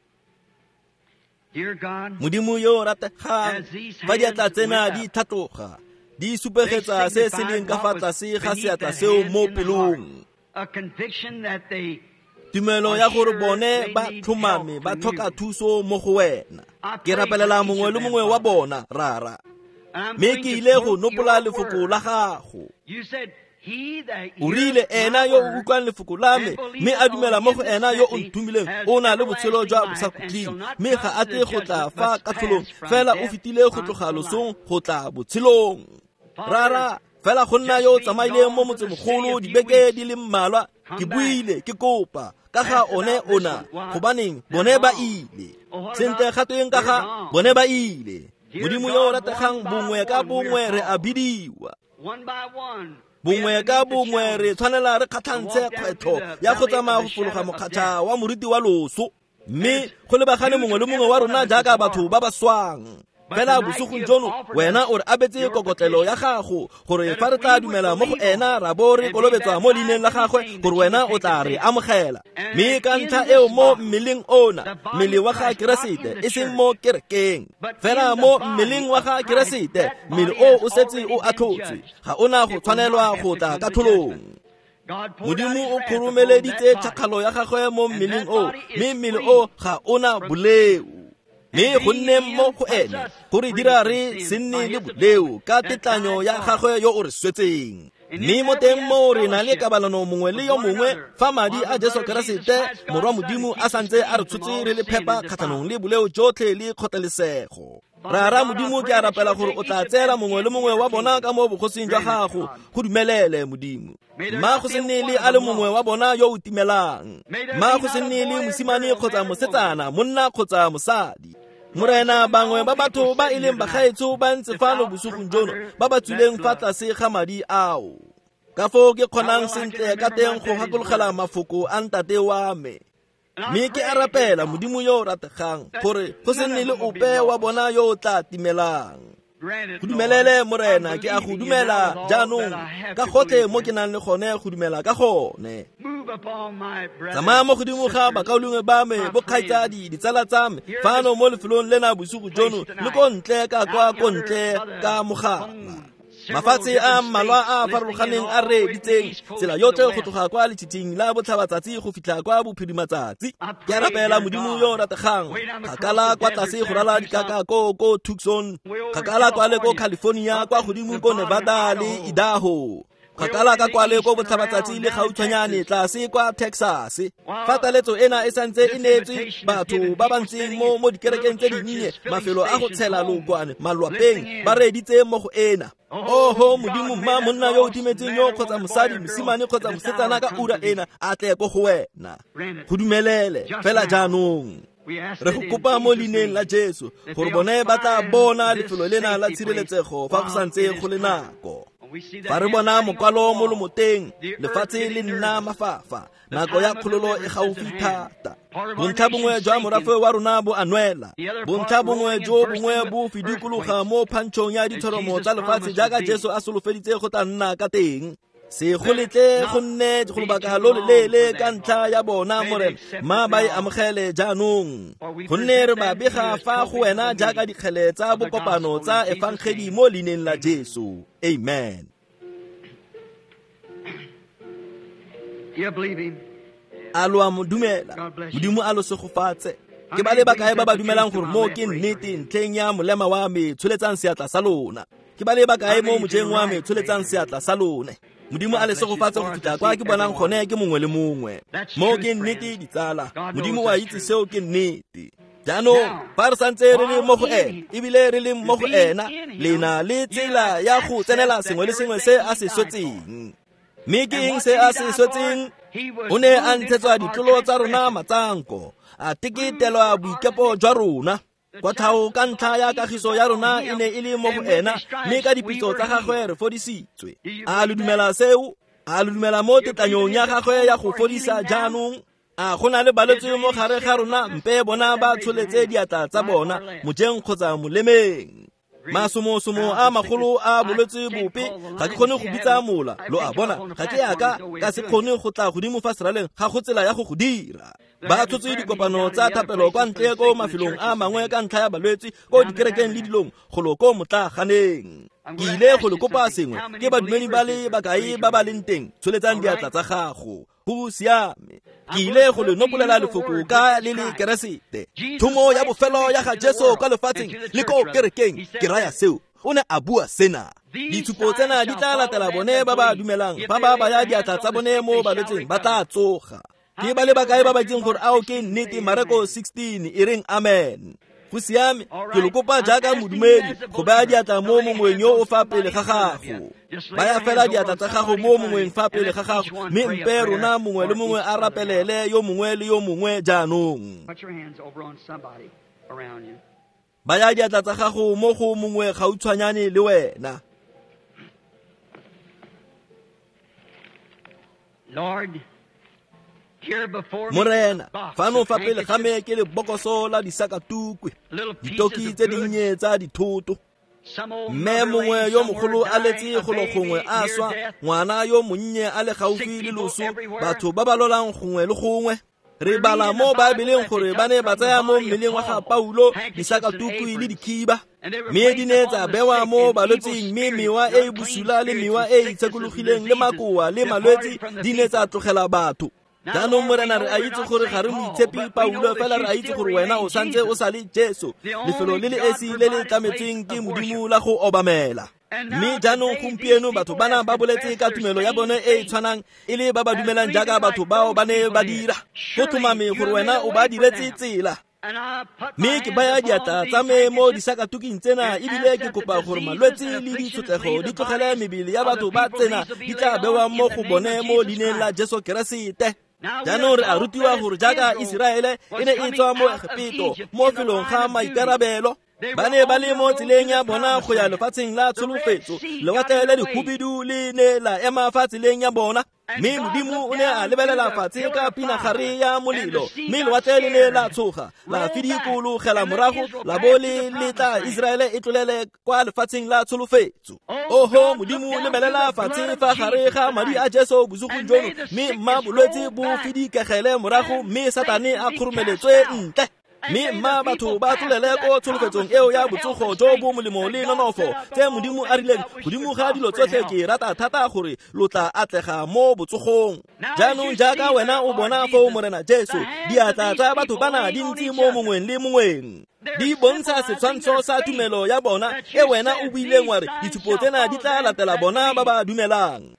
Modimo yo o rategang, fa diatla tsena di tlhatloga, di supegetsa se se leng ka fa tlase ga seatla seo mo pelong. Tumelo ya gore bone ba tlhomame ba tlhoka thuso mo go wena. Ke rapelela mongwe le mongwe wa bona, Rara. Mme ke ile go nopola lefoko la gago. O rile, ena yo o utlwang lefoko la me mme a dumela mo go ena yo o nthomileng, o na le botshelo jwa bosakhutleng, mme ga a tle go tla fa katlholong, fela o fetile go tloga losong go tla botshelong. Rara, fela go nna yo o tsamaileng mo motsemogolo dibeke di le mmalwa, ke buile ke kopa ka ga one ona, gobaneng bone ba ile. Sentle ga tweng ka ga bone ba ile. Modimo yo o rategang, bongwe ka bongwe re a bidiwa. Bongwe ka bongwe re tshwanela re kgatlhantshe kgwetlho ya go tsamaya go fologa mokgatšha wa moriti wa loso, mme go lebagane mongwe le mongwe wa rona jaaka batho ba ba swang. Fela bosigong jono wena o re abetse kokotlelo ya gago gore fa re tla dumela mo go ena ra bo re kolobetswa mo leineng la gagwe gore wena o tla re amogela. Mme ka ntlha eo mo mmeleng ona, mmele wa ga Keresete, e seng mo kerekeng, fela mo mmeleng wa ga Keresete, mmele o o setse o atlhotswe, ga ona go tshwanelwa go tla katlholong. Modimo o khurumeleditse tšhakgalo ya gagwe mo mmeleng o, mme mmele o ga ona boleo. Mme go nne mo go ene go re dira re se nne le boleo ka tetlanyo ya gagwe yo o re swetseng. Mme mo teng mo re na le kabalano mongwe le yo mongwe fa madi a Jesu Keresete morwa Modimo a santse a re tshotse re le phepa kgatlhanong le boleo jotlhe le kgotlelesego. Rara Modimo, ke a rapela gore o tla tseela mongwe le mongwe wa bona ka mo bogosing jwa gago, go dumelele Modimo. Mma go se nne le a le mongwe wa bona yo o timelang. Mma go se nne le mosimane kgotsa mosetsana, monna kgotsa mosadi. Morena, bangwe ba batho ba e leng bagaetsho ba ntse fano bosigong jono ba ba tswileng fa tlase ga madi ao. Ka foo ke kgonang sentle ka teng go gakologela mafoko a ntate wa me. Mme ke a rapela Modimo yo o rategang gore go se nne le ope wa bona yo o tla timelang. Go dumelele Morena, ke a go dumela jaanong ka gotlhe mo ke nang le gone go dumela ka gone. Tsamaya mo godimo ga bakaulengwe ba me, bokgaitsadi, ditsala tsa me fano mo lefelong lena bosigo jono le ko ntle ka kwa ko ntle ka mogala. Mafatshe a mmalwa a farologaneng a reeditseng tsela yotlhe go tloga kwa letshitshing la botlhabatsatsi go fitlha kwa bophirimatsatsi. Ke a rapela Modimo yo o rategang, kgakala kwa tlase go rala dikaka ko ko Tucson, kgakala kwa le ko California, kwa godimo ko Nevada le Idaho, kgakala ka kwa le ko botlhabatsatsi le gautshwanyane tlase kwa Texas. Fa taletso ena e santse e neetswe batho ba ba ntseng mo mo dikerekeng tse dinnye, mafelo a go tshela lookwane malwapeng, ba reeditse mo go ena. Oho Modimo, mma monna yo o timetseng yo kgotsa mosadi, mosimane kgotsa mosetsana ka ura ena a tle ko go wena. Go dumelele fela jaanong. Re go kopa mo leineng la Jesu gore bone ba tla bona lefelo lena la tshireletsego fa go santse go le nako. Fa re bona mokwalo mo lomoteng, lefatshe le nna mafafa, nako ya kgololo e gaufi thata. Bontlha bongwe jwa morafe wa rona bo a nwela, bontlha bongwe jo bongwe bo fidikologa mo phantšhong ya dithoromo tsa lefatshe jaaka Jesu a solofeditse go tla nna ka teng. Se go letle go nne go lobaka lo loleele ka ntlha ya bona, Morena, mma ba e amogele jaanong. Gonne re ba bega fa go wena jaaka dikgele tsa bokopano tsa efangedi mo leineng la Jesu. Amen. A lo a mo dumela? Modimo a lo segofatse. Ke ba le bakae ba ba dumelang gore mo ke nnete ntlheng ya molema wa me, tsholetsang seatla sa lona. Ke ba le bakae mo mojeng wa me, tsholetsang seatla sa lone. Modimo a le segofatse go fitlha kwa ke bonang gone ke mongwe le mongwe. Mo ke nnete ditsala, Modimo wa itse seo ke nnete. Jaanong fa re santse re le mo go ena, ebile re le mo go ena, le na le tsela ya go tsenela sengwe le sengwe se a se swetseng. Mme ke eng se a se swetseng? O ne a ntshetswa ditlolo tsa rona matsanko, a teketelwa boikepo jwa rona. Kotlhao ka ntlha ya kagiso ya rona e ne e le mo go ena, mme ka dipitso tsa gagwe re fodisitswe. A lo dumela seo? A lo dumela mo tetlanyong ya gagwe ya go fodisa jaanong? A go na le balwetse mo gare ga rona? Mpe bona ba tsholetse diatla tsa bona mojeng kgotsa molemeng. Masomosomo a magolo a bolwetse bope, ga ke kgone go bitsa mola, lo a bona, ga ke yaka ka se kgone go tla godimo fa seraleng, ga go tsela ya go go dira. Ba tshotse dikopano tsa thapelo kwa ntle ko mafelong a mangwe ka ntlha ya balwetse ko dikerekeng le dilong golo ko motlaganeng. Ke ile go le kopa sengwe, ke badumedi ba le bakae ba ba leng teng, tsholetsang diatla tsa gago. Go siame. Ke ile go le nopolela lefoko ka le le Keresete. Thomo ya bofelo ya ga Jesu kwa lefatsheng le ko kerekeng, ke raya seo. O ne a bua sena. Ditshupo tsena di tla latela bone ba ba dumelang, ba ba baya diatla tsa bone mo balwetseng ba tla tsoga. Ke ba le bakae ba ba itseng gore ao ke nnete? Mareko sixteen e reng amen. Go siame, ke lo kopa jaaka modumedi go baya diatla mo mongweng yo o fa pele ga gago. Baya fela diatla tsa gago mo mongweng fa pele ga gago, mme mpe rona mongwe le mongwe a rapelele yo mongwe le yo mongwe jaanong. Baya diatla tsa gago mo go mongwe gautshwanyane le wena. Lord, Morena, fano fa pele ga me ke lebokoso la disakatukwe, ditoki tse dinnye tsa dithoto. Mme mongwe yo mogolo a letse golo gongwe a swa, ngwana yo monnye a le gaufi le loso, batho ba ba lolang gongwe le gongwe. Re bala mo Baebeleng gore ba ne ba tsaya mo mmeleng wa ga Paulo disakatukwe le dikhiba, mme di ne tsa bewa mo balwetsing, mme mewa e e bosula le mewa e e itshekologileng le makoa le malwetse di ne tsa tlogela batho. Jaanong Morena, re a itse gore ga re moitshepi Paulo, fela re a itse gore wena o santse o sa le Jesu, lefelo le le esi le le tlametsweng ke Modimo la go obamela. Mme jaanong gompieno batho bana ba boletse ka tumelo ya bone e e tshwanang e le ba ba dumelang jaaka batho bao ba ne ba dira. Go tlhomame gore wena o ba diretse tsela. Mme ke baya diatla tsa me mo disakatuking tsena, ebile ke kopa gore malwetse le ditshotlego di tlogele mebele ya batho ba tsena di tla bewang mo go bone mo leineng la Jesu Keresete. Jaanong re a rutiwa gore jaaka Iseraele e ne e tswa mo Egepeto mo felong ga maikarabelo, ba ne ba le mo tseleng ya bona go ya lefatsheng la tsholofetso. Lewatle le dikhubidu le ne la ema fa tseleng ya bona, mme Modimo o ne a lebelela fatshe ka pinagare ya molelo, mme lewatle le ne la tshoga, la fidikologela morago, la bo le letla Iseraele e tlolele kwa lefatsheng la tsholofetso. Oho Modimo, lebelela fatshe fa gare ga madi a Jesu bosigong jono, mme mma bolwetse bo fidikegele morago, mme Satane a kgoromeletswe ntle. Mme mma batho ba tlolele ko tsholofetsong eo ya botsogo jo bo molemo le nonofo tse Modimo a rileng godimo ga dilo tsotlhe. Ke rata thata gore lo tla atlega mo botsogong. Jaanong jaaka wena o bona foo, Morena Jesu, diatla tsa batho bana di ntse mo mongweng le mongweng, di bontsha setshwantsho sa tumelo ya bona e wena o buileng wa re ditshupo tsena di tla latela bona ba ba dumelang.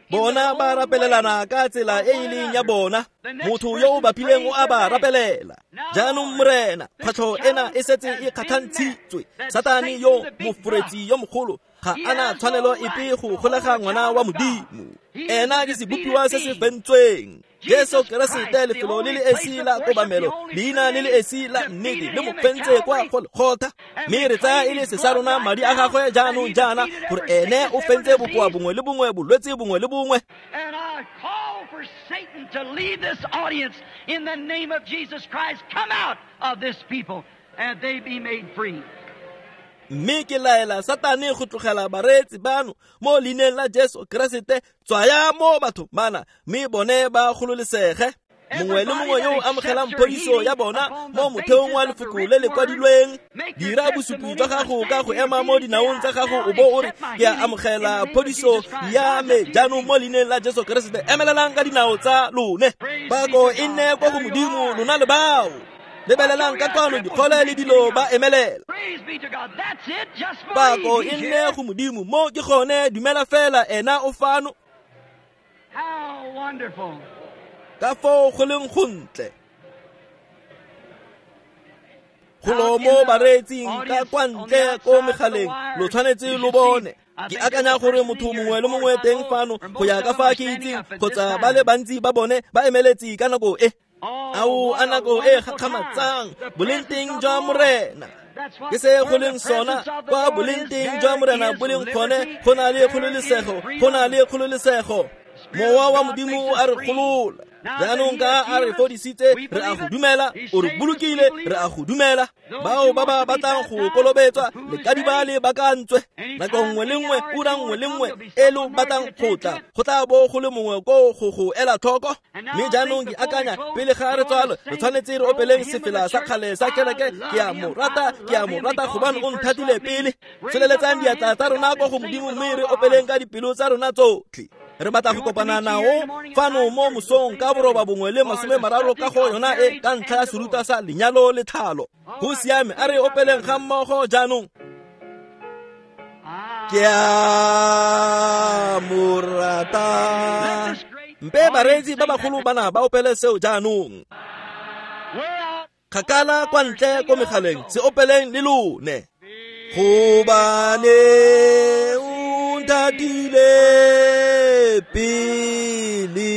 Bona ba rapelelana ka tsela e e leng ya bona, motho yo o bapileng o a ba rapelela. Jaanong Morena, kgwetlho ena e setse e kgatlhantshitswe. Satane yo moforetsi yo mogolo ga ana tshwanelo epe go golega ngwana wa Modimo. Ena ke sebopiwa se se fentsweng. Jesu Keresete, lefelo le le esi la kobamelo, leina le le esi la nnete, le mo fentse kwa Golgotha. Mme re tsaya e le se sa rona madi a gagwe jaanong jaana, gore ene o fentse bokoa bongwe le bongwe, bolwetse bongwe le bongwe. And I call for Satan to leave this audience in the name of Jesus Christ. Come out of this people and they be made free. Mme ke laela Satane go tlogela bareetsi bano mo leineng la Jesu Keresete, tswaya mo batho bana, mme bone ba gololesege. Mongwe le mongwe yo o amogelang phodiso ya bona mo motheong wa lefoko le le kwadilweng, dira bosupi jwa gago ka go ema mo dinaong tsa gago o bo o re, ke a amogela phodiso ya me jaanong mo leineng la Jesu Keresete. Emelelang ka dinao tsa lone. Pako e nne kwa go Modimo, lona le bao. Lebelelang ka kwano dikgole le dilo ba emelela. Pako e nne go Modimo, mo ke gone, dumela fela, ena o fano. Ka foo go leng gontle. Golo mo bareetsing ka kwa ntle ko megaleng, lo tshwanetse lo bone. Ke akanya gore motho mongwe le mongwe teng fano, go ya ka fa ke itseng, kgotsa ba le bantsi ba bone ba emeletse ka nako e. Ao a nako e gakgamatsang, boleng teng jwa Morena. Ke se go leng sona, kwa boleng teng jwa Morena bo leng gone, go na le kgololesego, go na le kgololesego. Mowa wa Modimo a re golola. Jaanong ka a re fodisitse, re a go dumela, o re bolokile, re a go dumela. Bao ba ba batlang go kolobetswa, le ka di ba le bakantswe. Nako nngwe le nngwe, ura nngwe le nngwe e lo batlang go tla, go tla bo go le mongwe ko go go ela tlhoko. Mme jaanong ke akanya pele ga re tswalwa, re tshwanetse re opeleng sefela sa kgale sa kereke, ke a mo rata, ke a mo rata gobane o nthatile pele. Tsholeletsang diatla tsa rona kwa go Modimo, mme re opeleng ka dipelo tsa rona tsotlhe. Re batla go kopana nao fano mo mosong ka boroba bongwe le masome mararo ka go yona e ka ntlha ya seruta sa lenyalo le tlhalo. Go siame, a re opeleng ga mmogo jaanong. Ke a mo rata. Mpe bareetsi ba bagolo bana ba opele seo jaanong. Kgakala kwa ntle ko megaleng, se opeleng le lone. Gobane o nthatile pele,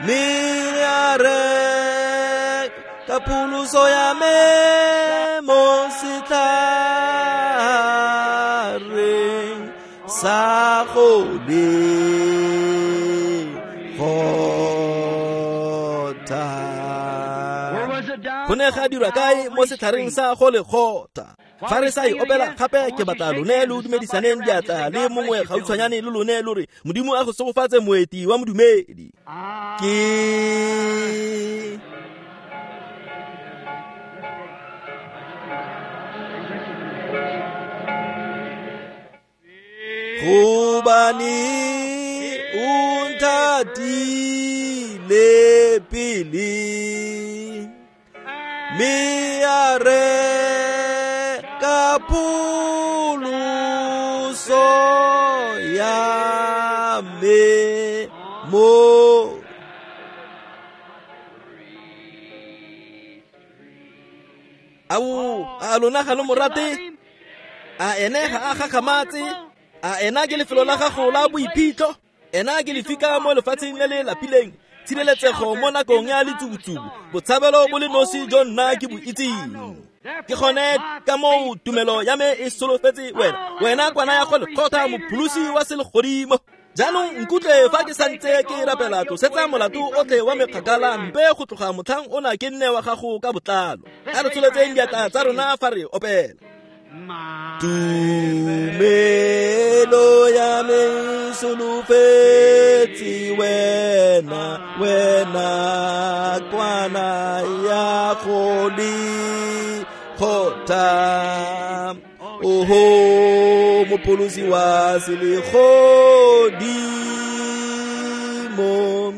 mme a re ka pholoso ya me mo setlhareng sa gole. Go ne ga dirwa kae mo setlhareng sa Golegotha? Fa re sa e opela gape ke batla lone lo dumedisaneng diatla le mongwe gautshwanyane le lone lo re Modimo a go segofatse moeti wa modumedi. Ke gobane o nthatile pele mme a reka pholoso ya me mo. Ao, a lona ga lo mo rate? A ene ga a gakgamatse? A ena ke lefelo la gago la boiphitlho? Ena ke lefika mo lefatsheng le le lapileng, tshireletsego mo nakong ya letsubutsubu, botshabelo bo le nosi jo nna ke bo itseng. Ke gone ka moo tumelo ya me e solofetse wena, wena kwana ya Golegotha, mopholosi wa selegodimo. Jaanong nkutlwe fa ke santse ke rapela, tlosetsa molato otlhe wa mekgakala, mpe go tloga motlhang ona ke nne wa gago ka botlalo. A re tsholetseng diatla tsa rona fa re opela. Tumelo ya me solofetse wena, wena kwana ya Golegotha. Oho, mopholosi wa selegodimo.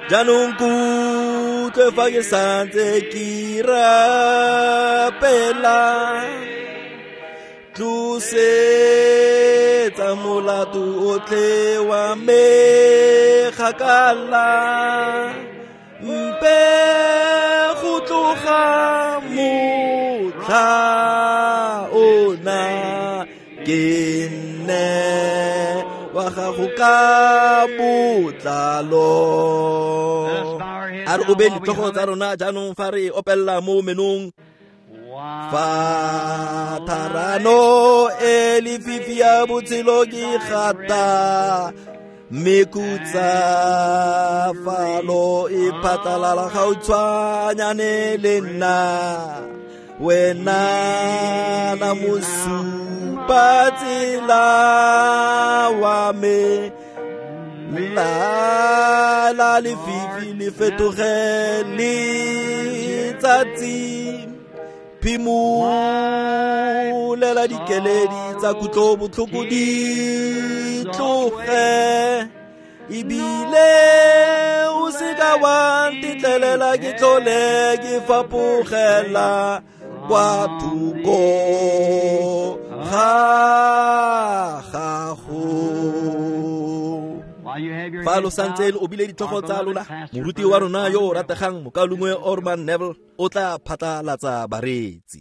Jaanong kutlwe fa ke santse ke rapela, tlosetsa molato otlhe wa me kgakala, mpe go tloga motlha ona ke nne wa gago ka botlalo. A re obe ditlhogo tsa rona jaanong fa re opella mo menong. Fa tharano e lefifi ya botshelo ke gata, mme khutsafalo e phatlalala gautshwanyane le nna, wena na mosupa tsela wa me, la la lefifi le fetoge letsatsi. Phimolela dikeledi tsa kutlobotlhoko di tloge, ebile o seka wa ntetlelela ke tlhole ke fapogela kwa thoko ga gago. Fa lo santse lo obile ditlhogo tsa lona, moruti wa rona yo o rategang mokaulengwe Orman Neville o tla phatlalatsa bareetsi.